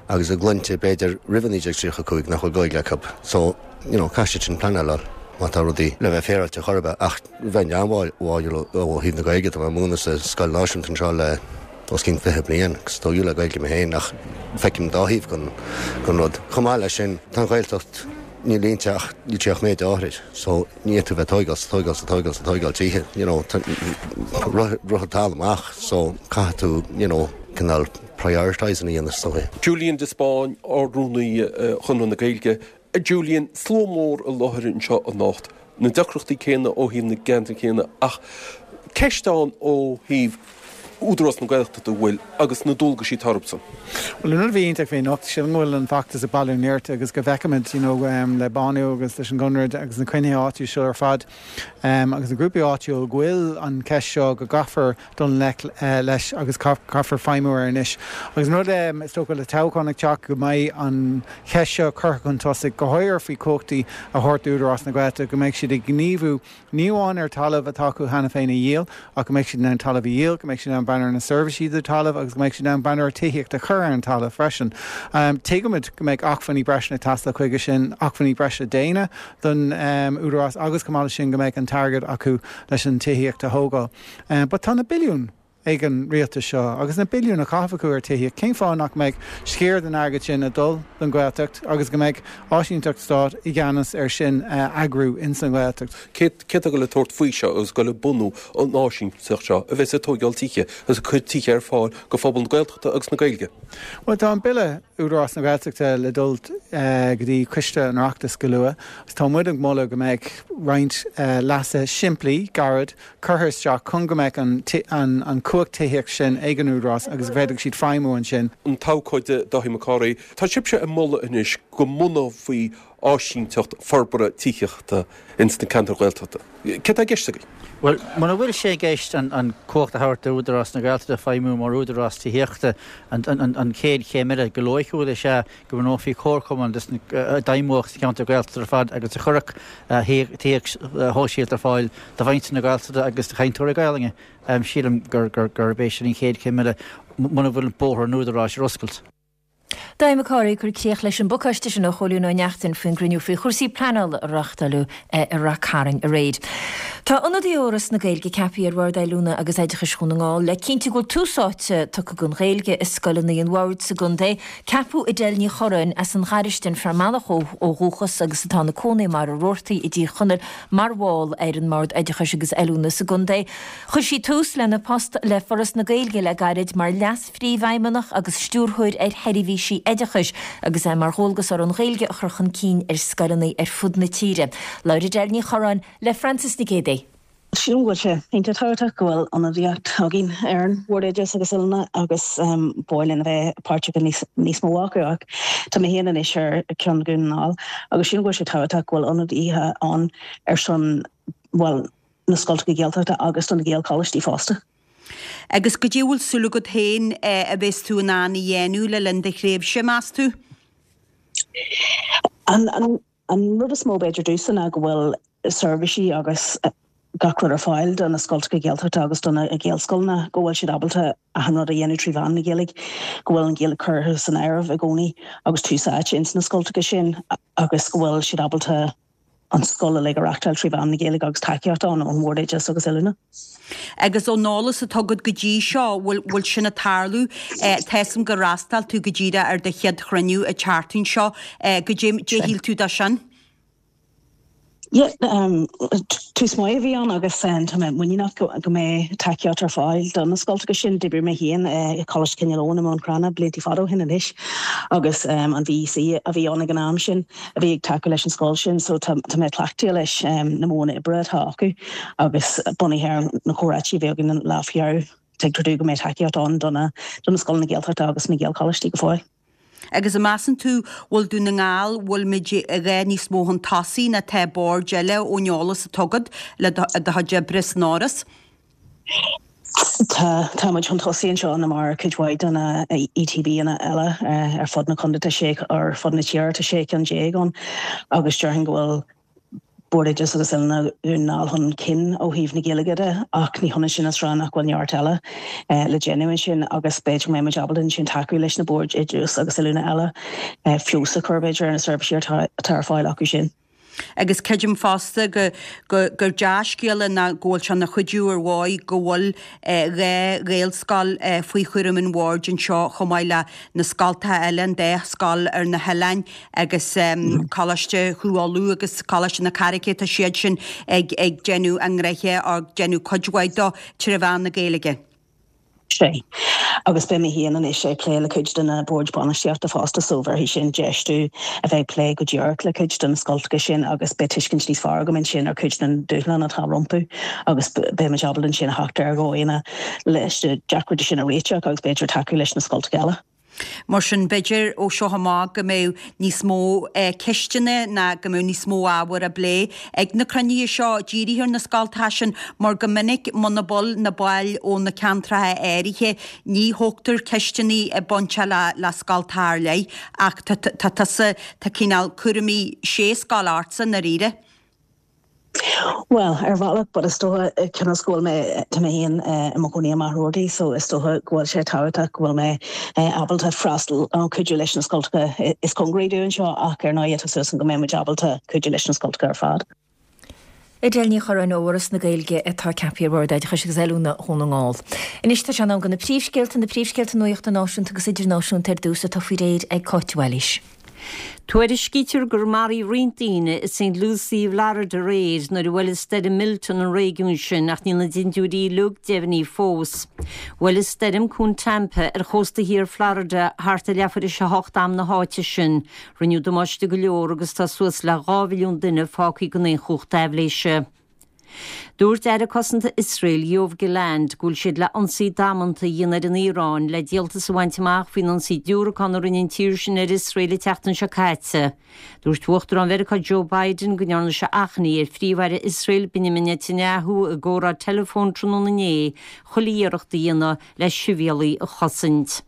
agus a gclainne b'fhéidir roimh naoi déag tríocha cúig nach bhfuil Gaeilge acu. So, you know, caithfidh siad sin pleanáil a fháil má tá rudaí le bheith féaráilte chor ar bith ach bheinn an-bháúil ó thaobh na Gaeilge, tá mé ag múineadh sa scoil náisiúnta anseo le os cionn fiche bliain agus tógadh le Gaeilge mé féin ach feicim dá thaobh den den rud. Chomh maith leis sin, tá an Ghaeltacht, níl inti ach níl sí ach méid áithrid so ní fhéadfaí bheith tóigeáil 's tóigeáil 's tóigeáil 's tóigeáil tithe, you know, rith an talamh amach so caithfidh tú, you know, cineál prioritising a dhéanamh is dóigh. Julian de Spáinn, Ard-Rúnaí Chonradh na Gaeilge, A Julian, slua mór i láthair anseo anocht, na deacrachtaí céanna ó thaobh na gceantar céanna ach ceist ann ó thaobh Údarás na Gaeltachta an bhfuil agus na dualgaisí atá orthusan. Bhuel, an rud a bhí iontach faoi anocht, sílim go bhfuil an feachtas ag bailiú nirt agus go bhfeicimid, you know, le Bánú agus leis an gConradh agus na cruinnithe áitiúla seo ar fad agus na grúpaí áitiúla go bhfuil an cheist seo go gcaithfear dul i ngleic leis agus caithfear feidhmiú air anois. Agus an rud is dócha le toghchán ag teacht go mbeidh an cheist seo curtha chun tosaigh, go háirithe faoi chumhachtaí a thabhairt d'Údarás na Gaeltachta, go mbeidh siad ag gníomhú ní amháin ar talamh atá acu cheana féin a dhíol, ach go mbeidh siad in ann talamh a dhíol, go mbeidh siad in ann breathnú ar na seirbhísí do talamh agus go mbeidh siad in ann breathnú ar tithíocht a chur ar an talamh freisin. Tuigimid go mbeidh acmhainní breise ag teastáil chuige sin, acmhainní breise daonna don Údarás agus chomh maith leis sin go mbeidh an t-airgead acu leis an tithíocht a thógáil. But tá na billiúin ag an rialtas seo agus na billiúin á gcaitheamh acu ar tithíocht, cén fáth nach mbeidh sciar den airgead sin ag dul don Ghaeltacht agus go mbeidh áisínteacht stáit i gceannas ar sin a eagrú ins an Ghaeltacht? Cé atá ag dul a tabhairt faoi seo agus ag dul ag bunú an áisínteacht seo a bheas ag tóigeáil tithe agus ag cur tithe ar fáil go phobal na Gaeltachta agus na Gaeilge? Bhuel, tá an Bille Údarás na Gaeltachta le dul go dtí Coiste an Oireachtais go luath agus tá muid ag moladh go mbeidh roinnt leasuithe simplí, gairid, curtha isteach chun go mbeadh an an chumhacht tithíochta sin ag an Údarás agus go bhféadfadh siad feidhmiú ansin. An t-abhcóide Dáithí Mac Cárthaigh, Tá sibhse ag moladh anois go mbunófaí áisínteacht forbartha tithíochta ins na ceantair Ghaeltachta. Céard tá i gceist agaibh? Bhuel, muna bhfuil sé i gceist an chumhacht a thabhairt d'Údarás na Gaeltachta feidhmiú mar údarás tithíochta, an chéad chéim eile go loighciúil is ea go mbunófaí comharchumann a d'fheidhmeodh sna ceantair Ghaeltachta ar fad agus a chuirfeadh tithíocht shóisialta ar fáil do mhuintir na Gaeltachta agus do chainteoirí Gaelainne. Sílim gurb é sin an chéad chéim eile muna bhfuil bóthar an údaráis ar oscailt. Dáithí Mac Cárthaigh ag cur críoch leis an bpacáiste sin ó Chóilín Ó Neachtain faoin gcruinniú faoi chúrsaí pleanála a reáchtáileadh i Rath Cairn aréir. Tá ionadaí ó Fhoras na Gaeilge ceaptha ar Bhord Oiliúna agus Oideachais Dhún na nGall le cinntiú go bhfuil tús áite tugtha don Ghaeilge i scoileanna an bhoird sa gcontae. Ceapadh Edel Ní Chorráin as an nGaristin, Fear Manach ó dhúchas agus atá ina cónaí i mBarra Rabhartaigh i dTír Chonaill mar bhall ar an mBord Oideachais agus Oiliúna sa gcontae. Chuir sí tús lena post le Foras na Gaeilge le gairid mar Leas-Phríomhfheidhmeannach agus Stiúrthóir ar Sheirbhísí Oideachais agus é mar dhualgas uirthi an Ghaeilge a chur chun cinn ar scoileanna ar fud na tíre. Labhair Edel Ní Chorráin le Frances Nic Géadaigh. Sílim go bhfuil sé iontach tábhachtach go bhfuil ionadaíocht againn ar an Bhord Oideachais agus Oiliúna agus ba mhaith linn a bheith páirteach i níos mó acu ach tá mé féin anois ar cheann Dhún na nGall agus sílim go bhfuil sé tábhachtach go bhfuil ionadaithe ann ar son, bhuel, na scoltacha Gaeltachta agus do na Gaelcholáistí fosta. Agus goidé a bhfuil súil agat féin a bheas tú in ann a dhéanamh le linn do thréimhse, meas tú? An, an, an rud is mó b'fhéidir domhsa ná go bhfuil seirbhísí agus gach rud ar fáil do na scoltacha Gaeltachta agus do na Gaelscoileanna, go bhfuil siad ábalta achan rud a dhéanamh trí mheán na Gaeilge, go bhfuil an Ghaeilge curtha san áireamh i gcónaí agus tús áite ins na scoltacha sin agus go bhfuil siad ábalta an scoil uilig a reachtáil trí mheán na Gaeilge agus tacaíocht ann ón Bhord Oideachais agus Oiliúna. Agus ón eolas atá agat go dtí seo, bhfuil bhfuil sin ag tarlú? Tá 'fhios a'm gur fhreastail tú go díreach ar do chéad chruinniú an tseachtain seo. Goidé a shíl tú de sin? Yeah, tús maith a bhí ann agus tá mé muiníneach go mbeidh tacaíocht ar fáil do na scoltacha sin. D'oibrigh mé féin i Coláiste Chineál Eoghain i mBun Cranncha blianta fada ó shin anois agus an VEC a bhí ann ag an am sin a bhí ag tacú leis an scoil sin so tá mé cleachtaithe leis na modhanna oibre atá acu agus bunaithe ar na comhráití a bhí againn an lá faoi dheireadh, tuigtear domh go mbeidh tacaíocht ann do na scoileanna Gaeltachta agus na Gaelcholáistí go fóill. Agus an measann tú bhfuil Dún na nGall, bhfuil muid a dhath níos mó chun tosaigh ná tá boird eile ón eolas atá agat le do chuid oibre san Áras? Tá, tá muid chun tosaigh anseo ná mar cuid mhaith de na ETBanna eile ar fud na contae, tá sé, ar fud na tíre, tá sé ceann déag ann agus déarfainn go bhfuil Bord Oideachais agus Oiliúna Dhún na nGall chun cinn ó thaobh na Gaeilge de ach ní hionann sin is rá nach bhfuil neart eile le déanamh ansin agus b'fhéidir go mbeidh muid ábalta ansin tacú leis na boird oideachais agus oiliúna eile feabhas a chur b'fhéidir ar na seirbhísí atá ar fáil acu sin. Agus creidim fosta go gur dea-scéala ná go bhfuil sé ina chuidiú ar ndóigh go bhfuil dhá Ghaelscoil faoi chúram an bhoird anseo chomh maith le na scoltacha eile, an dá scoil ar na hoileáin agus Coláiste Chú Uladh agus Coláiste na Carraice, tá siad sin ag déanamh a ngnoithe, ag déanamh cuid mhaith dó tré mheán na Gaeilge. Sea. Agus beidh mé féin anois ag plé le cuid de na boird bainistíochta fosta so bhéarfaidh sin deis domh a bheith ag plé go díreach le cuid de na scoltacha sin agus beidh tuiscint níos fearr agam ansin ar cuid den dúshlán atá rompu agus beidh muid ábalta ansin a theacht ar dhóigheanna leis na deacrachtaí sin a réiteach agus b'fhéidir tacú leis na scoltacha eile. Mar sin, b'fhéidir ó seo amach go mbeidh níos mó ceisteanna ná go mbeidh níos mó ábhar á bplé ag na cruinnithe seo dírithe ar na scoltacha sin mar go minic muna bhfuil na baill ó na ceantracha áirithe ní thógtar ceisteanna bainteach le le scoltacha ar leith ach tá tusa tá cineál cúraimí sé scoil ortsa i ndáiríre. Bhuel, ar bhealach, but is dócha, cionn is go bhfuil mé, tá mé féin i mo chónaí i Machaire Rabhartaigh, so is dócha go bhfuil sé tábhachtach go bhfuil mé ábalta freastal nó cuidiú leis na scoltacha is cóngaraí domh anseo ach ar ndóigh tá súil agam go mbeidh muid ábalta cuidiú leis na scoltacha ar fad. Edel Ní Churráin ó Fhoras na Gaeilge atá ceaptha ar Bhord Oideachais agus Oiliúna Dhún na nGall. Anois tá sé in am do na príomhscéalta, na príomhscéalta nuachta náisiúnta agus idirnáisiúnta ar dtús atá faoi réir ag Cáit Mhaoilís. Tuairiscítear gur maraíodh roinnt daoine i Saint Lucie i bhFlorida aréir nuair a bhuail stoirm Milton an réigiún sin ach níl na dintiúirí uilig deimhnithe fós. Bhuail an stoirm cuan Tampa ar chósta thiar Florida thart ar leathuair tar éis a hocht am na háite sin. Rinneadh damáiste go leor agus tá suas le dhá mhilliún duine fágtha gan aon chumhacht aibhléise. Dúirt Aire Cosanta Iosrael, Yoav Gallant, go bhfuil siad le ionsaí damanta a dhéanamh ar an Iaráin le díoltas a bhaint amach faoin ionsaí diúracán a rinne an tír sin ar Iosrael an tseachtain seo caite. Dúirt Uachtarán Mheiriceá Joe Biden go ndearna sé achainí ar Phríomh-Aire Iosrael Benjamin Netanyahu i gcomhrá teileafóin tráthnóna inné chuile iarracht a dhéanamh le sibhialaigh a chosaint.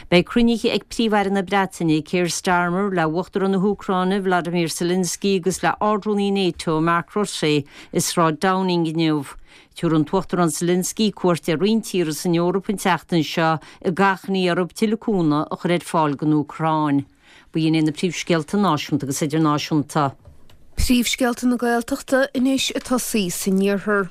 Beidh cruinnithe ag Príomh-Aire na Breataine, Keir Starmer, le Uachtarán na hÚcráine, Vladimir Zelensky agus le Ard-Rúnaí NATO, Mark Rutte, i Sráid Downing inniu. Tabharfaidh an tUachtarán Zelensky cuairt ar roinnt tíortha san Eoraip an tseachtain seo ag achainí orthu tuilleadh cúnamh a chur ar fáil don Úcráin. B'in iad na príomhscéalta náisiúnta agus idirnáisiúnta. Príomhscéalta na Gaeltachta anois ag tosaí san iarthar.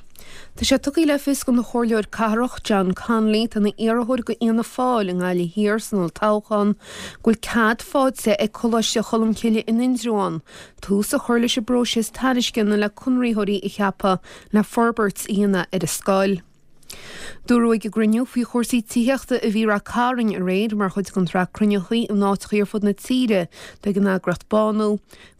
Tá sé tugtha le fios ag an Chomhairleoir Cathrach John Connolly atá ina iarrthóir do Fhianna Fáil i nGaillimh Thiar san olltoghchán go bhfuil cead faighte ag Coláiste Cholmcille in Indreabhán tús a chur leis an bpróiseas tairisceana le conraitheoirí a cheapadh le forbairt a dhéanamh ar an scoil. Dúradh ag an gcruinniú faoi chúrsaí tithíochta a bhí i Ráth Cairn aréir mar chuid den tsraith cruinnithe in áiteacha ar fud na tíre atá ag an eagraíocht Bánú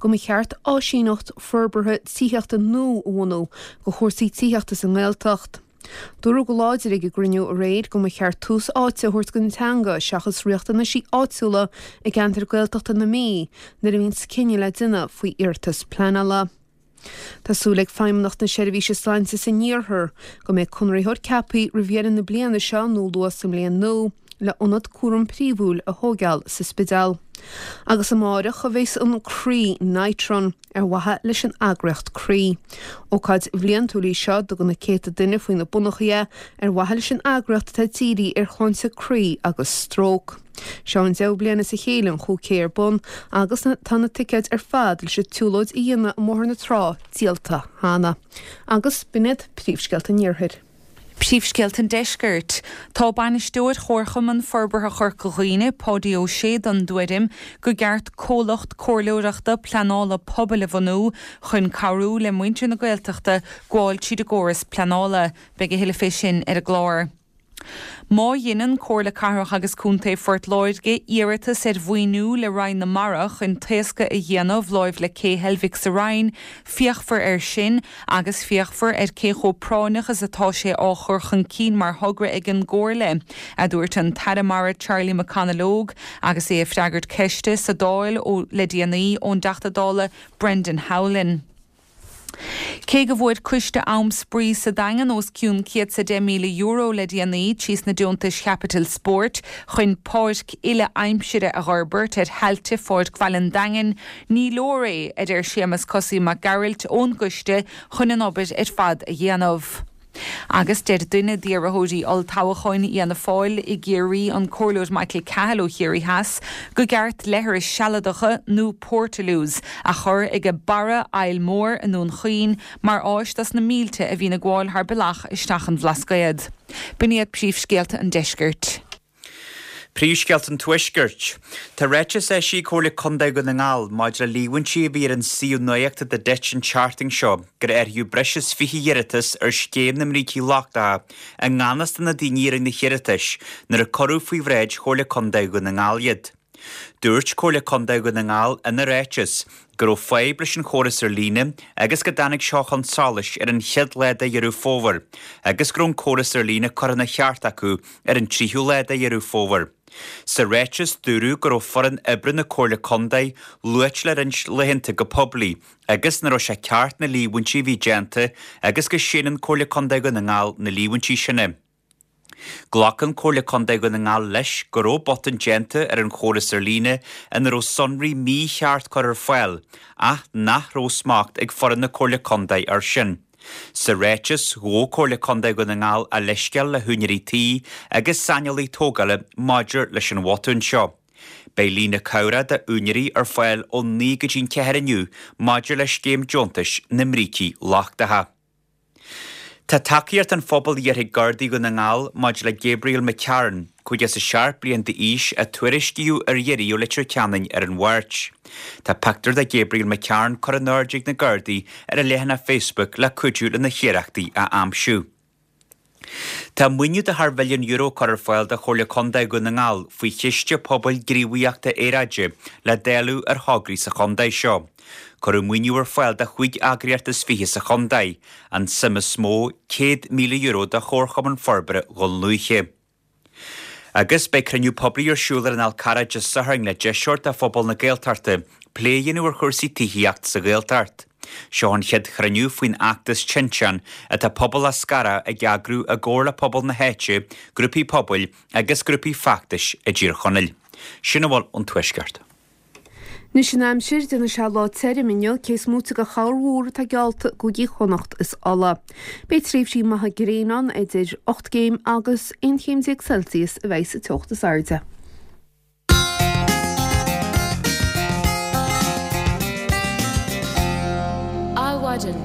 go mba cheart áisíneacht forbartha tithíochta nua a bhunú do chúrsaí tithíochta sa nGaeltacht. Dúradh go láidir ag an gcruinniú aréir go mba cheart tús áite a thabhairt don teanga seachas riachtanaisí áitiúla i gceantar Gaeltachta na Mí nuair a bhíonns cinneadh le déanamh faoi iarratas pleanála. Tá súil ag Feidhmeannacht na Seirbhíse Sláinte san Iarthar go mbeidh conraitheoir ceaptha roimh dheireadh na bliana seo nó luath sa mbliain nua le ionad cúram príomhúil a thógáil sa Spidéal. Agus amárach a bheas an Croí Night Run ar mhaithe leis an eagraíocht Croí. Ócáid bhliantúil í seo dtugann na céadta duine faoi na bonnachaí é ar mhaithe leis an eagraíocht atá dírithe ar shláinte croí agus stróc. Seo an deichiú bliain as a chéile an chúig K ar bun agus tá na ticéid ar fad leis an tsiúlóid a dhéanamh i mBóthar na Trá díolta cheana. Agus b'in iad príomhscéalta an Iarthair. Príomhscéalta an Deiscirt. Tá bainisteoir Chomharchumann Forbartha Chorca Dhuibhne, Páidí Ó Sé den dtuairim go gceart comhlacht comhairleoireachta pleanála pobail a bhunú chun cabhrú le muintir na Gaeltachta gabháil tríd an gcóras pleanála. Beidh a thuilleadh fé sin ar an gclár. Má dheineann Comhairle Cathrach agus Contae Phort Láirge iarratas ar mhaoiniú le Roinn na Mara chun taoscadh a dhéanamh láimh le Cé Heilbhic sa Rinn, féachfar air sin agus féachfar ar cé chomh práinneach is atá sé á chur chun cinn mar thogra ag an gComhairle, a dúirt an tAire Mara Charlie McConalogue agus é ag freagairt ceiste sa Dáil le déanaí ón dTeachta Dála Brendan Howlin. Cé go bhfuair coiste Am Spraoi sa Daingean os cionn céad is a deich míle euro le déanaí trí sna deontais chaipitil spóirt chun páirc uile aimsire a fhorbairt ar thailte Pháirc Bhaile an Daingin, ní leor é, a deir Séamus Cosaí Mac Gearailt ón gcoiste chun an obair ar fad a dhéanamh. Agus deir duine d'iarrthóirí olltoghcháin Fhianna Fáil i gCiarraí, an Comhairleoir Michael Cahill ó Chiarraí Theas, go gceart leithris sealadacha nó portaloos a chur ag barra Aill Mhór i nDún Chaoin mar áis dos na mílte a bhíonn ag gabháil thar bealach isteach an Bhlascaod. B'in iad príomhscéalta an deiscirt. Príomhscéalta an Tuaiscirt. Tá ráiteas eisithe ag Comhairle Contae Dhún na nGall maidir le líomhaintí a bhí ar an suíomh nuachta The Ditch an tseachtain seo gur áiríodh breis is fiche iarratas ar scéim na mbrící lochtacha i ngan fhios do na daoine a rinne na hiarratais nuair a cuireadh faoi bhráid Chomhairle Contae Dhún na nGall iad. Dúirt Comhairle Contae Dhún na nGall ina ráiteas go raibh fadhb leis an chóras ar líne agus go dtáinig seo chun solais ar an chéad lá de Dheireadh Fómhair agus go raibh an córas ar líne curtha ina cheart acu ar an tríú lá de Dheireadh Fómhair. Sa ráiteas dúradh go raibh foireann oibre na Comhairle Contae luaite le roinnt laethanta go poiblí agus nach raibh sé ceart na líomhaintí a bhí déanta agus go séanann Comhairle Contae Dhún na nGall na líomhaintí sin. Glacann Comhairle Contae Dhún na nGall leis go raibh botún déanta ar an chóras ar líne ina raibh sonraí mícheart curtha ar fáil, ach nach raibh smacht ag foireann na Comhairle Contae air sin. Sa ráiteas, ghabh Comhairle Contae Dhún na nGall a leithscéal le húinéirí tí agus saineolaí tógála maidir leis an bhotún seo. Beidh líne cabhrach d'úinéirí ar fáil ó naoi go dtí an ceathair inniu maidir le scéim deontais na mbrící lochtacha. Tá tacaíocht an phobail iarrtha ag Gardaí Dhún na nGall maidir le Gabriel McCarron, caoga is a seacht bliain d'aois, a tuairiscíodh ar iarraidh ó Leitir Ceanainn ar an Mháirt. Tá pictiúr de Gabriel McCarron curtha in airde ag na Gardaí ar a leathanach Facebook le cuidiú lena hiarrachtaí a aimsiú. Tá maoiniú de thar mhilliún euro curtha ar fáil do Chomhairle Contae Dhún na nGall faoi Chiste Pobail Gníomhaíochta Aeráide le dáileadh ar thograí sa chontae seo. Cuireadh maoiniú ar fáil do chúig eagraíocht is fiche sa chontae, an tsuim is mó, céad míle euro do Chomharchumann Forbartha Dhún Lúiche. Agus beidh cruinniú poiblí ar siúl ar an Fhál Carrach Dé Sathairn le deis a thabhairt do phobal na Gaeltachta plé a dhéanamh ar chúrsaí tithíochta sa Ghaeltacht. Seo an chéad chruinniú faoin fheachtas Tinteán atá pobal Eascarrach ag eagrú i gcomhar le pobal na háite, grúpaí pobail agus grúpaí feachtais i dTír Chonaill. Sin a bhfuil ón Tuaisceart. Anois an aimsir, déanfaidh sé lá tirim inniu, cé is móite de chorrmhúr atá geallta i gcúigí Chonnacht is Uladh. Beidh tréimhsí maithe gréine ann, idir ocht gcéim agus aon chéim déag Celsius a bheidh sa teocht is airde. Adhmhaidin.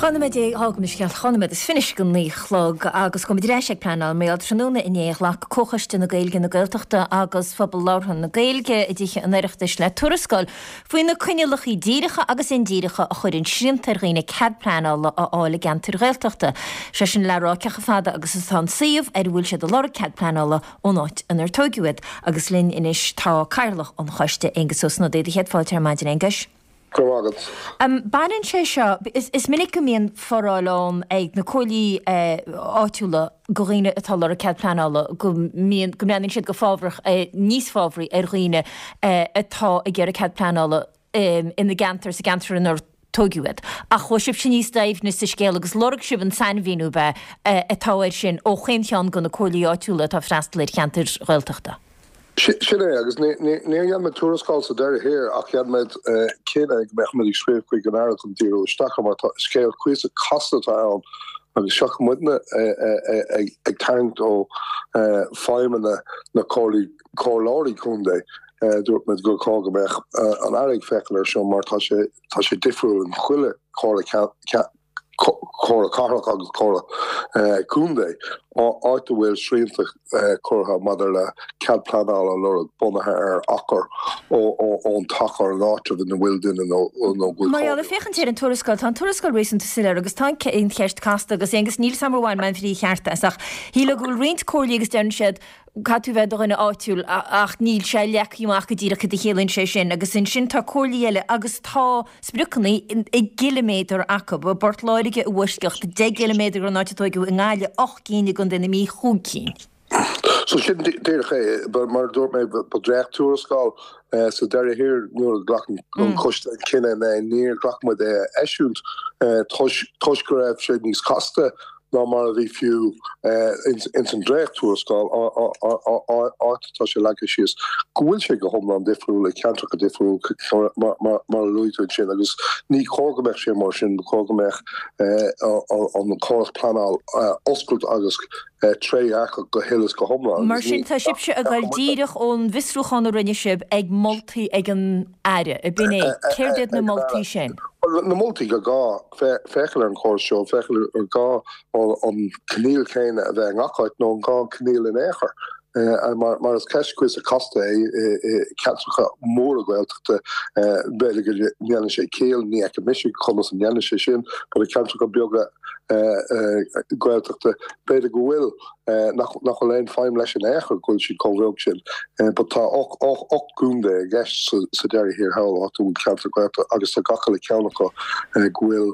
Dhá nóiméad déag, gabh mo leithscéal, dhá nóiméad is fiche go naoi a chlog agus gabhfaimid ar ais ag pleanáil mar gheall tráthnóna inné ghlac Comhchoiste na Gaeilge, na Gaeltachta agus Phobal Labhartha na Gaeilge i dTithe an Oireachtais le tuarascáil faoi na coinníollacha díreacha agus indíreacha a chuireann srianta ar dhaoine cead pleanála a fháil i gceantair Ghaeltachta. Sé sin le rá cé chomh fada agus atá an suíomh ar a bhfuil siad ag lorg cead pleanála ón áit inar tóigeadh iad. Agus linn anois tá Cathaoirleach an Choiste, Aengus Ó Snodaigh. Do chéad fáilte ar maidin, Aonghuis. Go raibh maith agat. Baineann sé seo, is minic go mbíonn foráil ann ag na comhairlí áitiúla do dhaoine atá ag lorg cead pleanála, go mbíonn, go mbreathnaíonn siad go fábhrach, níos fábhraí ar dhaoine atá ag iarraidh cead pleanála ina gceantar, sa gceantar inar tóigeadh iad. Ach chuaigh sibhse níos doimhne sa scéal agus lorg sibh an sainmhíniú ab ea atá air sin ó chaon cheann de na comhairlí áitiúla atá ag freastal ar cheantair Ghaeltachta. Sin é, agus níor dhein muid tuarascáil sa deireadh thiar ach dhein muid cinneadh go mbeadh muid ag scríobh chuig an Aire chun díriú isteach air mar tá scéal cuíosach casta atá ann agus seachas muidne ag tarraingt ó feidhmeanna na comhairleoirí contae, dúirt muid gur chóir go mbeadh an Aire ag féachaint air seo mar tá sé tá sé difriúil in chuile chomhairle comhairle cathrach agus comhairle contae, áit a bhfuil srianta curtha maidir le cead pleanála a lorg bunaithe ar achar ón teach ar an áitreabh ina bhfuil duine nó go bhfuil Mar gheall, ag féachaint ar an tuarascáil, tá an tuarascáil réasúnta soiléir agus tá an cheist casta agus Aonghus níl 's a'm ar bhain mé an bhrí cheart as ach shílfeá go bhfuil roinnt comhairlí agus deireann siad caithfidh tú bheith i do dhuine áitiúil ach níl sé leagtha amach go díreach cad a chiallaíonn sé sin agus ansin tá comhairlí eile agus tá spriocanna i gciliméadar acu, i bPort Láirge i bhfoisceacht deich gciliméadar ón áit a tóigeadh, i nGaillimh ocht gcinn, i gContae na Mí chúig cinn. So sin díreach é, mar a dúirt mé, ba dréacht-tuarascáil sa deireadh thiar nuair a ghlac an coiste an cinneadh inné, níor ghlac muid é a eisiúint toisc go raibh sé níos casta ná mar a bhí fiú ins an dréacht-tuarascáil, áit atá sé leagtha síos go bhfuil sé go hiomlán difriúil i ceantracha difriúla mar a luaigh tú ansin agus ní chóir go mbeadh sé mar sin, ba chóir go mbeadh an córas pleanáil oscailte agus trédhearcach go huile is go hiomlán. Mar sin tá sibhse ag dul díreach ón bhfiosrúchán a rinne sibh ag moltaí ag an Aire, ab in é? Céard iad na moltaí sin? Bhuel, na moltaí gur gá féachaint ar an chóras seo, féachaint ar gá an coinníoll céanna a bheith i ngach áit nó an gá an coinníoll in aon chor. Mar is ceist cuíosach casta é i gceantracha móra Gaeltachta, b'fhéidir go ndéanann sé ciall, ní fheiceann mise conas a ndéanann sé sin, but i gceantracha beaga Gaeltachta, b'fhéidir go bhfuil, nach bhfuil aon feidhm leis in aon chor go bhfuil siad chomh beag sin. But tá ocht gcontae i gceist sa deireadh thiar thall, áit a bhfuil ceantar Gaeltachta agus tá gach uile cheann acu go bhfuil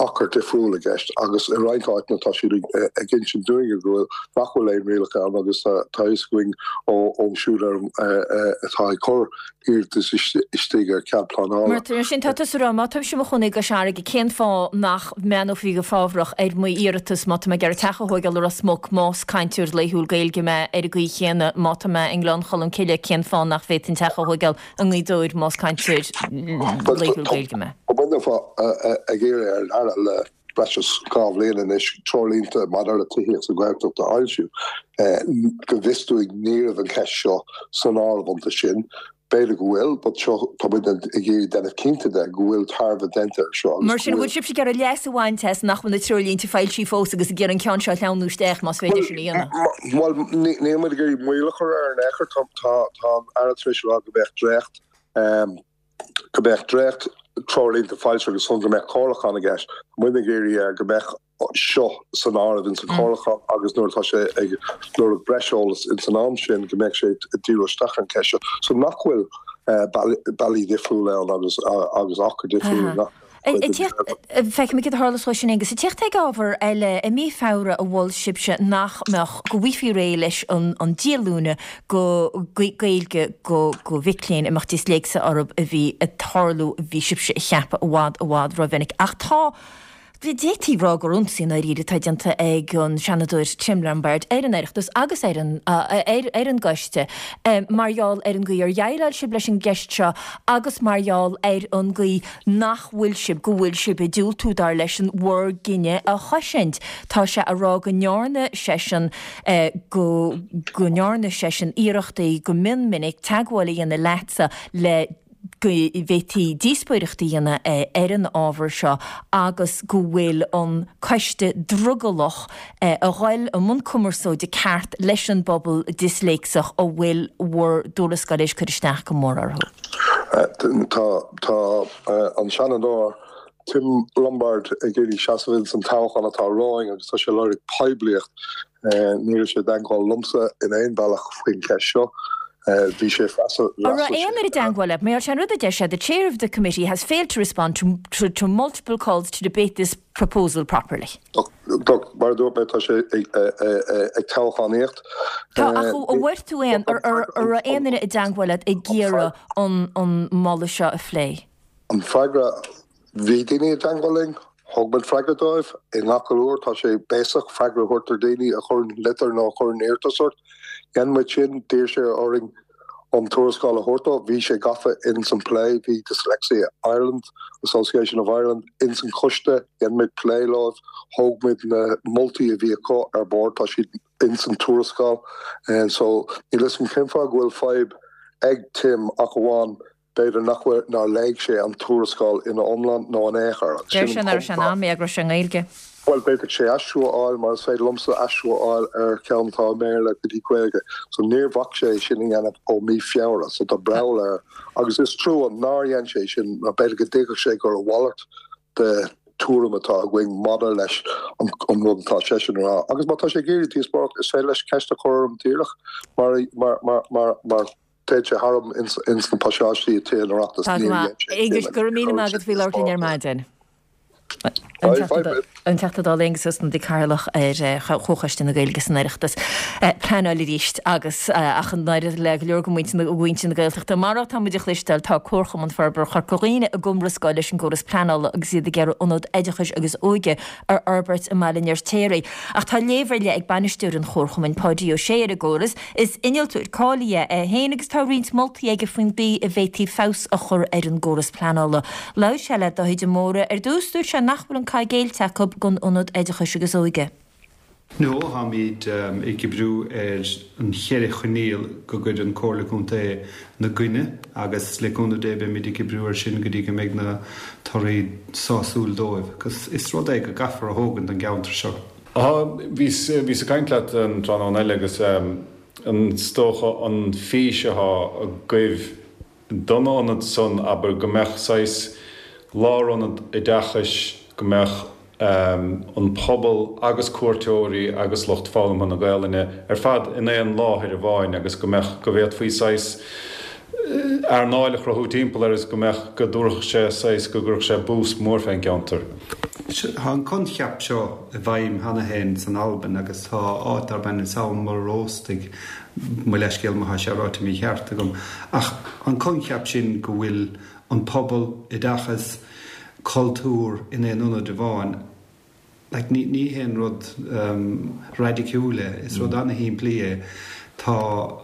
achar difriúil i gceist agus i roinnt áiteanna tá siad ag insint dúinne go bhfuil, nach bhfuil aon rialacha ann agus tá a fhios againn ó siúd atá ag cur iarratas istigh ar chead pleanála. Mar sin, tá tusa ag rá, má táimse i mo chónaí i gCois Fharraige, cén fáth nach mbreathnófaí go fábhrach ar m'iarratas má tá mé ag iarraidh teach a thóigeáil i Ros Muc, más cainteoir laethúil Gaeilge mé, ar an gcaoi chéanna, má tá mé i nGleann Cholm Cille, cén fáth nach bhféadfainn teach a thóigeáil i nGaoth Dobhair más cainteoir laethúil Gaeilge mé? Tá muidne ag iarraidh ar an Aire le breis is dhá bhliain anois treoirlínte maidir le tithíocht sa Ghaeltacht a fhoilsiú. Go bhfios dúinn ní raibh an cheist seo san áireamh iontu sin. B'fhéidir go bhfuil, but seo, tá muid ag iarraidh déanamh cinnte de go bhfuil tairbhe déanta air seo agus Mar sin, bhfuil sibhse ag iarraidh leas a bhaint as nach bhfuil na treoirlínte foilsithe fós agus ag iarraidh an ceann seo a shleamhnú isteach, más féidir sin a dhéanamh? Bhuel, níl muid ag iarraidh moill a chur air in aon chor. Tá an Aire tar éis a rá go mbeadh dréacht, go mbeadh dréacht treoirlínte foilsithe agus go mbeadh comhairliúchán i gceist. Tá muid ag iarraidh air go mbeadh seo san áireamh ins an chomhairliúchán agus nuair atá sé ag lorg breis eolas ins an am sin go mbeadh sé ag díriú isteach ar an cheist seo so nach bhfuil bealaí difriúla ann agus agus achar difriúil i ngach cuid den Feicfimid céard a tharlós dhó sin Aengus. Ag tíocht ag ábhar eile, i mí Feabhra a mhol sibhse nach mbeadh, go bhfaighfí réidh leis an díolúine go Gaeilge go go mhic léinn a mbeadh disléicse orthu a bhí ag tarlú, bhí sibhse a cheapadh i bhfad i bhfad rómhinic. Ach tá. D'fhéadfaí a rá gur ionsaí i ndáiríre atá déanta ag an Seanadóir Tim Lombard ar an Oireachtas agus ar an ar an gcoiste mar gheall ar an gcaoi ar dhéileáil sibh leis an gceist seo agus mar gheall ar an gcaoi nach bhfuil sibh, go bhfuil sibh ag diúltú, dar leisean, bhur gcinneadh a chosaint. Tá sé a rá go ndearna seisean go go ndearna seisean iarrachtaí go mion minic teagmháil a dhéanamh leatsa le go bhféadfaí díospóireacht a dhéanamh ar an ábhar seo agus go bhfuil an coiste drogallach a dhul i mbun cumarsáide ceart leis an bpobal disléicseach a bhfuil bhur dtuarascáil éis cur isteach go mór orthu. Tá tá an Seanadóir Tim Lombard ag iarraidh seasamh ins an toghchán atá romhainn agus tá sé ag lorg poiblíocht. Ní raibh sé i dteagmháil liomsa in aon bhealach faoin cheist seo. Bhí sé An raibh aon duine i dteagmháil leat? Mar sin an rud a deir sé, The chair of the committee has failed to respond to to to multiple calls to debate this proposal properly. Mar a dúirt mé, tá sé ag toghchánaíocht. Tá, ach an bhfuair tú aon, an raibh aon duine i dteagmháil leat ag iarraidh an an moladh seo a phlé? An freagra Bhí daoine i dteangmháil linn, thug muid freagra dóibh. I ngach uair tá sé béasach freagra a thabhairt ar daoine a chuireann litir nó a chuireann iarratas ort. Dhein muid sin, d'iarr sé orainn an tuarascáil a thabhairt dó, bhí sé gafa ins an plé, bhí Dyslexia Ireland, Association of Ireland, ins an choiste, dhein muid plé leo, thóg muid na moltaí a bhí acu ar bord, tá siad ins an tuarascáil. So níl 'fhios a'm cén fáth go bhfuil fadhb ag Tim ach amháin b'fhéidir nach bhfuil, nár léigh sé an tuarascáil ina iomlán nó in aon chor. Deir sé nach raibh sé in am é go raibh sé i nGaeilge. Bhuel, b'fhéidir sé aistriú a fháil mar is féidir liomsa aistriú a fháil ar cheann atá i mBéarla go dtí Gaeilge. So níor bhac sé sin a dhéanamh ó mí Feabhra, so tá breall air. Agus is trua nár dhein sé sin mar b'fhéidir go dtuigfeadh sé gur a mhalairt de tuairim atá againn maidir leis an rud atá seisean a rá. Agus má tá sé ag iarraidh díospóireacht, is féidir leis ceist a chur orm díreach mar, mar, mar, mar, mar téann sé tharam ins, ins na pasáistí i Tithe an Oireachtais. Tá go Níor maith. dhein sé Aengus, sin go raibh agus míle chuir maith sé agat faoi labhairt linn ar díospóireacht. maidin. Bye, bye, bye. An Teachta Dála Aengus Ó Snodaigh, Cathaoirleach ar Chomhchoiste na Gaeilge san Oireachtas. Pleanáil arís agus ach an oiread le go leor de mhuintir na Gaeltachta. Mar atá muid a chloisteáil, tá Comharchumann Forbartha Chorca Dhuibhne i gcomhrascáil leis an gcóras pleanála agus iad ag iarraidh ionad oideachais agus óige a fhorbairt i mBaile an Fheirtéaraigh. Ach tá léamh ar leith ag bainisteoir an Chomharchumainn, Páidí Ó Sé, ar an gcóras. Is innealtóir cáilithe é féin agus tá roinnt moltaí aige faoin gcaoi a bhféadfaí feabhas a chur ar an gcóras pleanála. Labhair sé le Dáithí de Mórdha. Ar dtús, dúirt sé nach bhfuil an cath géillte acu don ionad oideachais agus óige. No, táimid ag oibriú ar an cheithre choinníoll go gcuireann Comhairle Contae 'na gcoinne agus le cúnamh Dé beimid ag oibriú air sin go dtí go mbeidh na torthaí sásúil dóibh agus is rud é go gcaithfear a thógaint don gceantar seo. Bhíos ag caint leat an tráthnóna eile agus is dócha an fís atá agaibh don ionad san, abair, go mbeadh saghas lárionad oideachais, go mbeadh an pobal agus cuairteoirí agus lucht foghlamtha na Gaelainne ar fad in aon láthair amháin agus go mbeadh, go bhféadfaí saghas earnáil a chruthú timpeall air agus go mbeadh, go dtabharfadh sé saghas, go gcuirfeadh sé bús mór fén gceantar. Tá an coincheap seo i bhfeidhm cheana féin san Albain agus tá áit darb ainm Sabhal Mòr Ostaig, mo leithscéal má tá sé ráite mícheart agam, ach an coincheap sin go bhfuil an pobal, oideachas, cultúr in aon ionad amháin, like ní ní haon rud raidiciúil é, is rud ana-shimplí é. Tá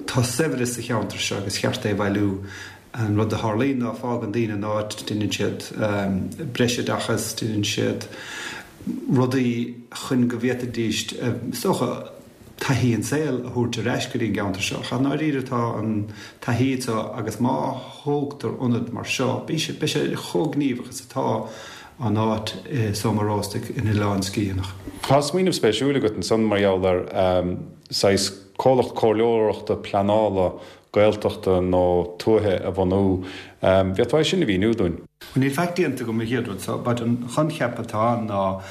tá saibhreas sa cheantar seo agus cheart é a bhailiú. An rud a tharlaíonn ná fágann daoine an áit, déanann siad breisoideachas, déanann siad rudaí chun go bhféadfaidís, is dócha, taithí an tsaoil a thabhairt ar ais go dtí an gceantar seo. Ach i ndáiríre tá an taithí seo agus má thógtar ionad mar seo, beidh sé beidh sé chomh gníomhach is atá an áit i Sabhal Mòr Ostaig in Oileán Sgitheanach. Tá smaoineamh spéisiúil agat ansan mar gheall ar saghas comhlacht comhairleoireachta pleanála Gaeltachta nó tuaithe a bhunú. Bhféadfá é sin a mhíniú dúinn? Bhuel, níl faic déanta agam an chéad rud so, but an choincheap atá ann ná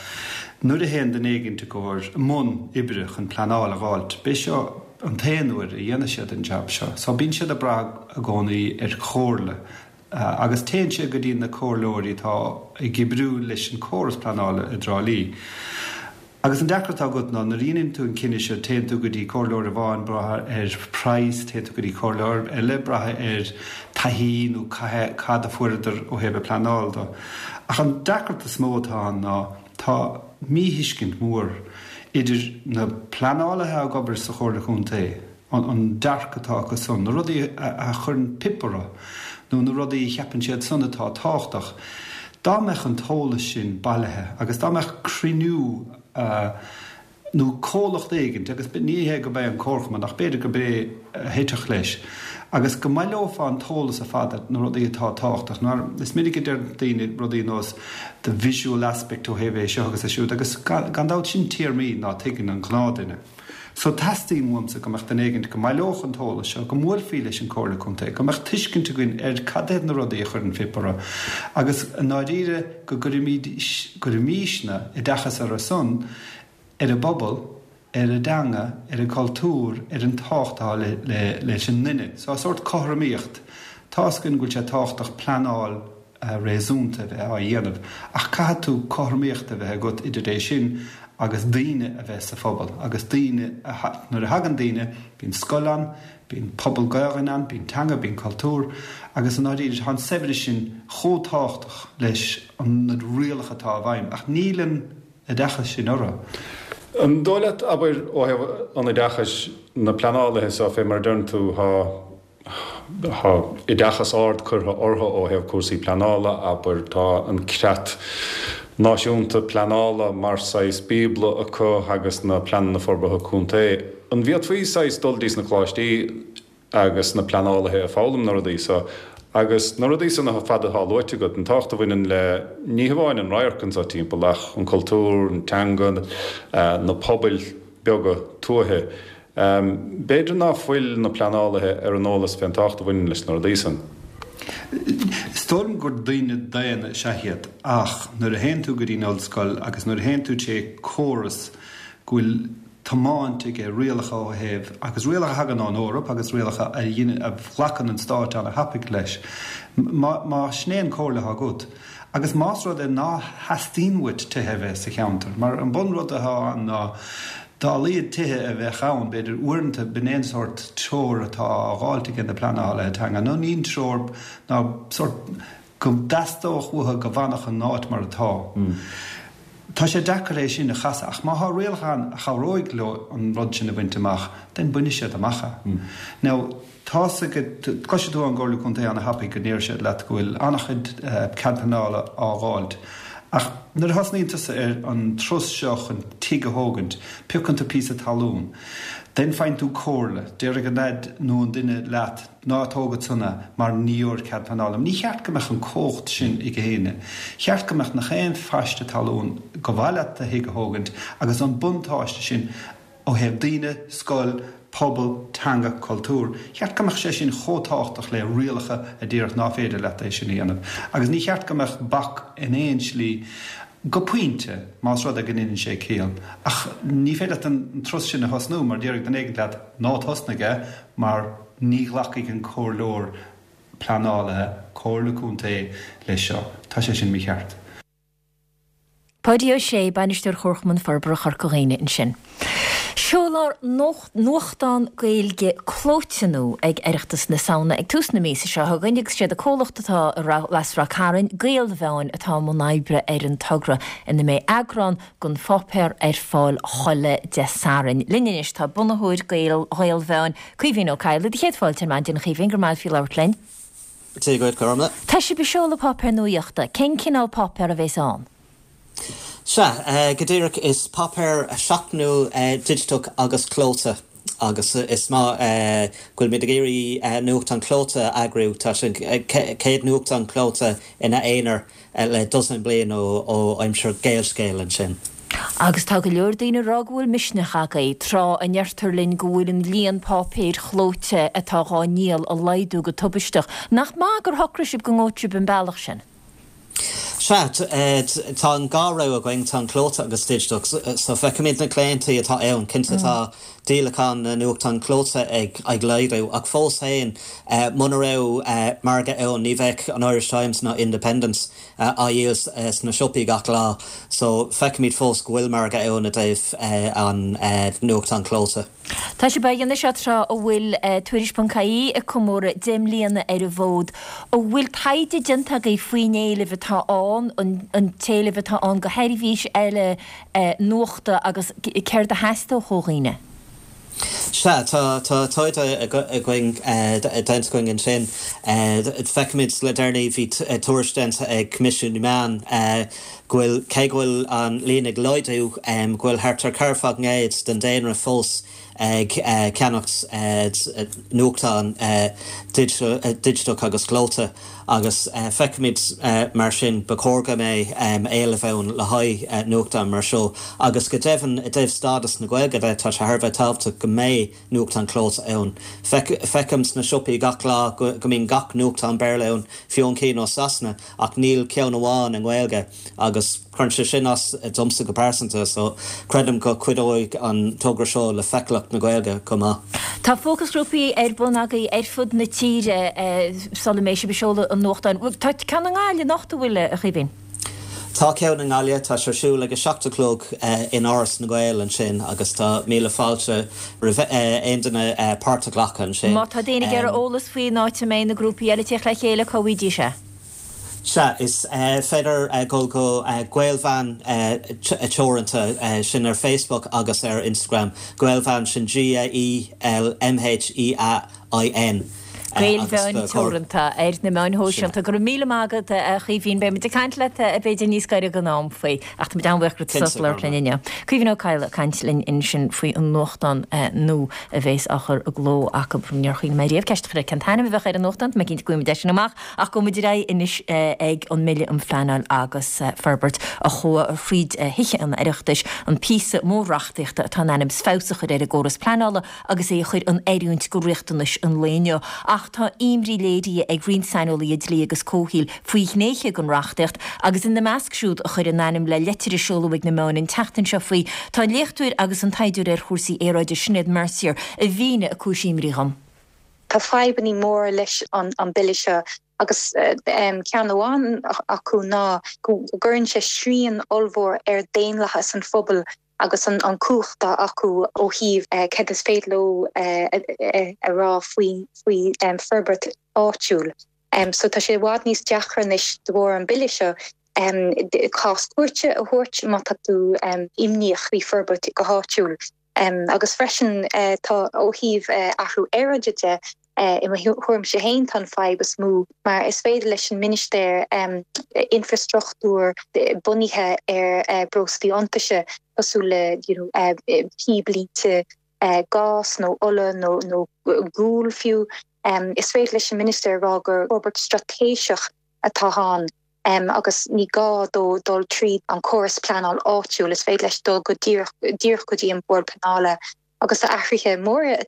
nuair a théann duine éigint i gcomhair i mbun oibre chun pleanáil a dh'fháilt, b'é seo an t-aon uair a dhéanfaidh siad an jab seo. So bíonn siad ag brath i gcónaí ar chomhairle agus téann siad go dtí na comhairleoirí atá ag oibriú leis an córas pleanála i dTrá Lí. Agus an deacracht atá agat ná nuair a dhéanann tú an cinneadh seo téann tú go dtí comhairleoir amháin brath ar praghas, téann tú go dtí comhairleoir eile brath ar taithí nó cad a fuaireadar ó thaobh an pleanáil do. Ach an deacracht is mó atá ann ná tá míthuiscint mhór idir na pleanálaithe ag obair sa Chomhairle Chontae, an dearcadh atá acu san, na rudaí a chuireann pip orthu nó na rudaí a cheapann siad san atá tábhachtach. Dá mbeadh an t-eolas sin bailithe agus dá mbeadh cruinniú nó comhlacht éigint, agus ní hé go mbeidh an Comharchumann ach b'fhéidir go b'é a thitfeadh leis, agus go mbaileofá an t-eolas ar fad, na rudaí atá tábhachtach, mar is minic a deir daoine rudaí nós the visual aspect ó thaobh é seo agus é siúd agus gan dabht sin téarmaí ná tuigeann an gnáthduine. So teastaíonn uaimse go mbeadh duine éigint go mbaileodh an t-eolas seo, go mbuailfí leis an Comhairle Contae, go mbeadh tuiscint againn ar cad iad na rudaí a chuireann pip orthu agus i ndáiríre go gcuirfimísne oideachas orthu san, ar an bpobal, ar an dteanga, ar an gcultúr, ar an tábhacht atá leis an nduine. So sórt cothromaíocht. Tá's againn go bhfuil sé tábhachtach pleanáil réasúnta a bheith á dhéanamh ach caithfidh tú cothromaíocht a bheith agat idir é sin agus daoine a bheith sa phobal agus daoine nuair a thagann daoine bíonn scoil ann, bíonn pobal Gaelainne ann, bíonn teanga, bíonn cultúr agus i ndáiríre tá an saibhreas sin chomh tábhachtach leis na rialacha atá i bhfeidhm ach níl an oideachas sin orthu. An dóigh leat, abair, ó thaobh an oideachais, na pleanálaithe so, fé mar a deireann tú, thá, thá oideachas ard curtha orthu ó thaobh cúrsaí pleanála, abair, tá an creat náisiúnta pleanála mar saghas bíobla acu agus na pleananna forbartha contae. An bhféadfaí saghas dul dtís na coláistí agus na pleanálaithe ag foghlaim na rudaí so agus na rudaí san ar fad atá luaite agat, an tábhacht a bhaineann le ní hamháin an radharc anso timpeall ach an cultúr, an teanga, na pobail beaga tuaithe. B'fhéidir ná fuil na pleanálaithe ar an eolas fén tábhacht a bhaineann leis na rudaí san. Is dóigh liom gur daoine daonna is ea iad ach nuair a théann tú go dtí an ollscoil agus nuair a théann tú tré córas go bhfuil tiomáint aige rialacha ó thaobh agus rialacha a thagann ón Eoraip agus rialacha a dhéanann a ghlacann an stáit ana-thapaidh leis má má sin é an comhairle atá agat agus más rud é ná theastaíonn uait tithe a bheith sa cheantar mar an bunrud atá ann ná Dá laghad tithe a bheadh ann, b'fhéidir, uaireanta, b'in é an sórt treoir atá á dháilt ag na pleanálaithe teanga, nó ní an treoir ná sórt go dteastódh uathu go bhfanfadh an áit mar atá. Tá sé deacair é sin a chasadh, ach má thá rialacha ann a chabhróidh leo an rud sin a bhaint amach, then bainfidh siad amach é. Now. Tá's agat, cloisfidh tú ón gComhairle Contae ana-thapaidh go ndéarfaidh siad leat go bhfuil an-chuid cead pleanála á dháilt. Ach nuair a thosnaíonn tusa ar an turas seo chun tigh a thógaint, piocann tú píosa talún. Then faigheann tú comhairle. Déarfaidh an leaid nó an duine leat, ná tóg ansan é mar ní gheobhair cead pleanála. Ní cheart go mbeadh an cumhacht sin ag éinne. Cheart go mbeadh nach aon phaiste talún gur mhaith leat do thigh a thógaint agus an buntáiste sin Ó thaobh daoine, scoil, pobal, teanga, cultúr, cheart go mbeadh sé sin chomh tábhachtach le rialacha a déarfadh ná féidir leat é sin a dhéanamh. Agus ní cheart go mbeadh bac in aon slí, go pointe, más rud é go ndeineann sé ciall. Ach ní féidir leat an turas sin a thosnú mar déarfaidh duine éigin leat ná tosnaigh é mar ní ghlacfaidh an comhairleoir pleanálaithe, comhairle contae leis seo. Tá sé sin mícheart. Páidí Ó Sé, Bainisteoir Chomharchumann Forbartha Chorca Dhuibhne ansin. Seolfar nuachtán Gaeilge clóite nua ag Oireachtas na Samhna ag tús na míosa seo chugainn agus siad an comhlacht atá as Ráth Cairn, Gaelmheáin, atá i mbun oibre ar an togra ina mbeidh eagrán den pháipéar ar fáil chuile Dé Sathairn. Linn anois tá bunaitheoir Ghaelmheáin, Caoimhín Ó Cadhlaigh. Do chéad fáilte ar maidin, a Chaoimhín, go raibh maith agat faoi labhairt linn. Dia dhuit, Gormlaith. Tá sibh ag seoladh páipéar nuaíochta. Cén cineál páipéar a bhéas ann? Sea, go díreach, is páipéar seachtainiúil digiteach agus clóite agus is maith go bhfuilimid ag iarraidh nuachtán clóite a eagrú. Tá sé an chéad nuachtán clóite ina aonar le dosaen bliain ó aimsir Gaelscéal ansin. Agus tá go leor daoine ag rá go bhfuil misneach agaibh, tráth a ndeirtear linn go bhfuil an líon páipéir chlóite atá dhá ndíol ag laghdú go tubaisteach. Nach maith gur shocraigh sibh go ngabhfadh sibh an bealach sin? Sea, tá an dhá rogha againn, tá an clóite agus digiteach. So feicimid na claontaí atá ann, cinnte tá díolachán na nuachtán clóite ag laghdú ach fós féin muna raibh margadh ann ní bheadh an Irish Times ná Independent á dhíol sna siopaí gach lá. So feicimid fós go bhfuil margadh ann i dtaobh an nuachtán clóite. Tá sibh á dhéanamh seo tráth a bhfuil Tuairisc ponc ie ag comóradh deich mbliana ar an bhfód. An bhfuil taighde déanta agaibh faoin éileamh atá ann, an t-éileamh atá ann do sheirbhís eile nuachta agus céard a theastódh ó dhaoine? Sea, tá taighde againn, déanta againn ansin. Feicimid le deireanaí, bhí tuairisc déanta ag Coimisiún na Meán go bhfuil, cé go bhfuil an líon ag laghdú, go bhfuil thart ar ceathracha faoin gcéad den daonra fós ag ceannacht nuachtán digiteach agus clóite agus feicimid mar sin ba chóir go mbeidh éileamh ann le haghaidh nuachtán mar seo agus go deimhin i dtaobh stádas na Gaeilge de tá sé thar a bheith tábhachtach go mbeidh nuachtán clóite ann. Feicim sna siopaí gach lá go mbíonn gach nuachtán Béarla ann, fiú an cinn ó Sasana, ach níl ceann amháin i nGaeilge agus cuireann sé sin as domsa go pearsanta so creidim go cuideoidh an togra seo le feiceálacht na Gaeilge chomh maith. Tá fócasghrúpaí ar bun agaibh ar fud na tíre sula mbeidh sibh ag seoladh an nuachtáin. Tá ceann i nGaillimh anocht, an bhfuil, a Chaoimhín? Tá ceann i nGaillimh, tá sé ar siúl ag a seacht a chlog in Áras na nGael ansin agus tá míle fáilte roimh aon duine páirt a ghlacadh ansin. Má tá daoine ag iarraidh eolas faoin áit a mbeidh na grúpaí eile ag tíocht le chéile, cá bhfaighidís é? Sea, is féidir dul go Gaelmheáin Teoranta, sin ar Facebook agus ar Instagram. Gaelmheáin, sin G-A-E-L-M-H-E-A-I-N. Gaelmheáin Teoranta ar na meáin shóisialta. Go raibh míle maith agat, a Chaoimhín. Beidh muid ag caint leat b'fhéidir níos gaire don am faoi, ach tá muid an-bhuíoch go raibh tú sásta labhairt linn inniu. Caoimhín Ó Cadhla ag caint linn ansin faoi an nuachtán nua a bhéas á chur i gcló acu. Níor chuimhnigh mé riamh ceist a chur air cén t-ainm a bheadh ar an nuachtán, tá mé cinnte go bhfaighidh muid é sin amach, ach gabhfaidh muid ar aghaidh anois ag an mBille um Phleanáil agus Forbairt a chuaigh thríd Thithe an Oireachtais, an píosa mór reachtaíochta atá in ainm is feabhas a chur ar an gcóras pleanála agus é a chur in oiriúint do riachtanais an lae inniu. Ach tá imní léirithe ag roinnt saineolaithe dlí agus comhshaoil faoi ghnéithe den reachtaíocht agus ina measc siúd a chuir a n-ainm le leitir a seoladh ag na meáin an tseachtain seo faoi tá an léachtóir agus an taighdeoir ar chúrsaí aeráide Sinéad Mercier a mhínigh a cúis imní dhom. Tá fadhbanna móra leis an bille seo agus ceann amháin acu ná go gcuireann sé srian ollmhór ar daonlathas an phobail agus an an cumhacht atá acu ó thaobh céard is féidir leo a rá faoi faoi forbairt áitiúil. So tá sé i bhfad níos deacra anois de bharr an bille seo cás cúirte a thabhairt má tá tú imníoch faoi forbairt go háitiúil. Agus freisin tá ó thaobh athrú aeráide de, i mo thuairimse féin tá an fadhb is mó mar is féidir leis an ministéir infrastruchtúr bunaithe ar breoslaí iontaise cosúil le you know píblínte gás nó ola nó nó gual fiú, is féidir leis an ministéir a rá gur forbairt straitéiseach atá ann agus ní gá dó dul tríd an córas pleanáil áitiúil, is féidir leis dul go díreach díreach go dtí an Bord Pleanála. Agus tá athruithe móra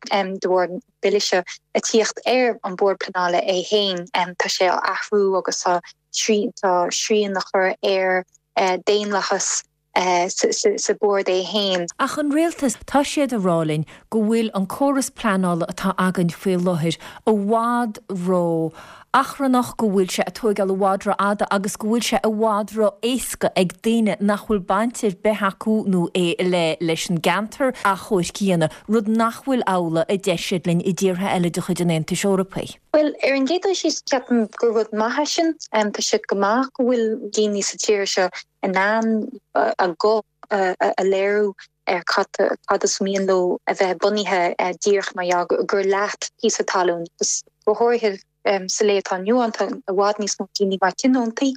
de bharr an bhille seo ag tíocht ar an Bord Pleanála é féin. Tá sé á athrú agus tá tá srian á chur ar daonlathas sa Bhord é féin. Ach an rialtas, tá siad ag rá linn go bhfuil an córas pleanála atá againn faoi láthair i bhfad ró achrannach, go bhfuil sé ag tóigeáil i bhfad ró-fhada agus go bhfuil sé i bhfad ró-éasca ag daoine nach bhfuil baint ar bith acu nó é le leis an gceantar achomhairc a dhéanamh, rud nach bhfuil amhlaidh, a deir siad linn, i dtíortha eile de chuid an Aontais Eorpaigh. Bhuel, ar an gcéad dul síos, ceapaim gur rud maith é sin. Tá sé go maith go bhfuil daoine sa tír seo in ann a nguth a léiriú ar cad is mian leo a bheith bunaithe díreach mar gheall gur leat píosa talún agus go háirithe sa lá atá inniu ann tá i bhfad níos mó daoine mar tionóntaí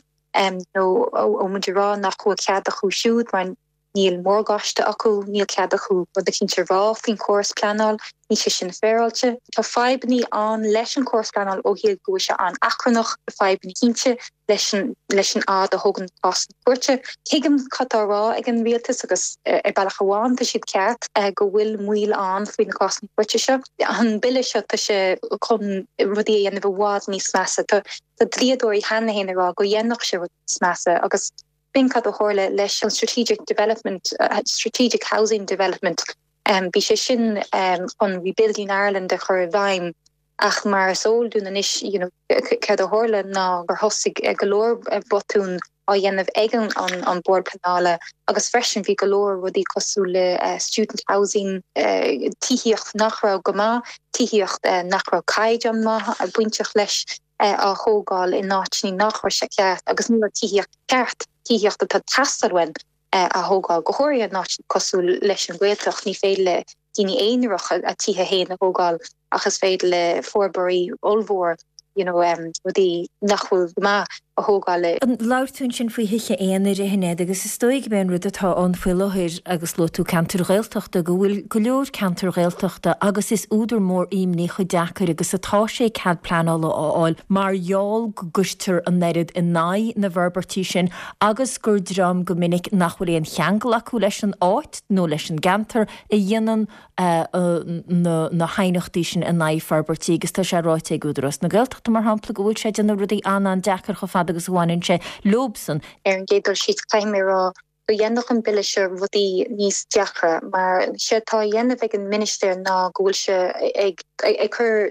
nó ó muid ag rá nach bhfuil cead acu siúd mar níl morgáiste acu, níl cead acu rud eicínt a rá faoin chóras pleanáil, níl sé sin féaráilte. Tá fadhbanna ann leis an chóras pleanáil ó thaobh go bhfuil sé an-achrannach, tá fadhbanna cinnte leis an leis an fhad a thógann cásanna cúirte. Tuigim cad tá á rá ag an rialtas agus ar bealach amháin tá siad ceart go bhfuil moill ann faoi na cásanna cúirte seo. An bille seo tá sé chun rudaí a dhéanamh i bhfad níos measa. Tá dlíodóirí cheana féin ag rá go dhéanfadh sé rudaí níos measa agus b'in cad a tharla leis an Strategic Development, Strategic Housing Development. Bhí sé sin chun Rebuilding Ireland a chur i bhfeidhm ach mar is eol dúinn anois you know céard a tharla ná gur thosaigh go leor botún á dhéanamh ag an an Bord Pleanála agus freisin bhí go leor rudaí cosúil le student housing, tithíocht nach raibh go maith, tithíocht nach raibh caighdeán maith bainteach leis á thógáil in áiteanna nach raibh sé ceart agus ní raibh tithíocht ceart, tithíocht atá ag teastáil uainn á thógáil, go háirithe in áiteanna cosúil leis an Ghaeltacht. Ní féidir le daoine aonarach a tithe féin a thógáil ach is féidir le forbróirí ollmhór you know rudaí nach bhfuil go maith a thógáil. Labhair tú ansin faoi thithe aonair, a Shinéad, agus is dóigh gurb é an rud atá ann faoi láthair agus luaigh tú ceantair Ghaeltachta, go bhfuil go leor ceantair Ghaeltachta agus is údar mór imní chomh deacair agus atá sé cead pleanála a fháil mar gheall go gcuirtear an oiread in aghaidh na bhforbairtí sin agus gur dream go minic nach bhfuil aon cheangal acu leis an áit nó leis an gceantar a dhéanann na haighneachtaí sin in aghaidh forbairtí agus tá sé ráite ag Údarás na Gaeltachta, mar shampla, go bhfuil sé ag déanamh rudaí an-an-deacair chomh fada agus a bhaineann sé leobsan. Ar an gcéad dul síos, caithfidh mé a rá Go dhéanfadh an bille seo rudaí níos deacra mar séard atá á dhéanamh ag an ministir ná go bhfuil sé ag ag cur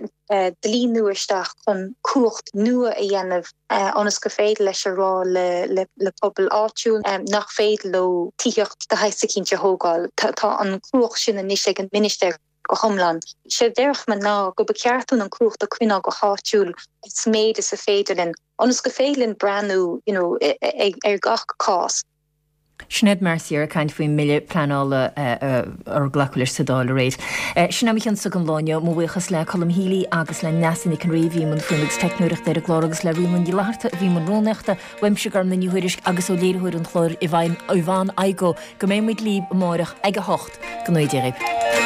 dlí nua isteach chun cumhacht nua a dhéanamh ionas gur féidir leis a rá le le pobal áitiúil nach féidir leo tithíocht de shaghas eicínt a thógáil. Tá an chumhacht sin anois ag an ministir go hiomlán. Séard déarfadh mé ná go ba cheart dúinn an cumhacht a choinneáil go háitiúil is méid is a féidir linn ionas go féidir linn breathnú you know ar gach cás. Sinéad Mercier ag caint faoin mbille pleanála ar glacadh leis sa Dáil aréir. Sin é mo chionsa don lá inniu. Mo bhuíochas le Colm Healy agus le Neasa Nic an Rí a bhí i mbun fuaime agus teicneoireachta ar an gclár agus le Ríona Ní Fhlatharta a bhí i mbun rúnaíochta. Uaimse Gormlaith Ní Thuairisg agus ó léiritheoir an chláir Yvonne Igoe go mbeidh muid libh amárach ag a hocht. Go ngnóthaí Dia dhaoibh.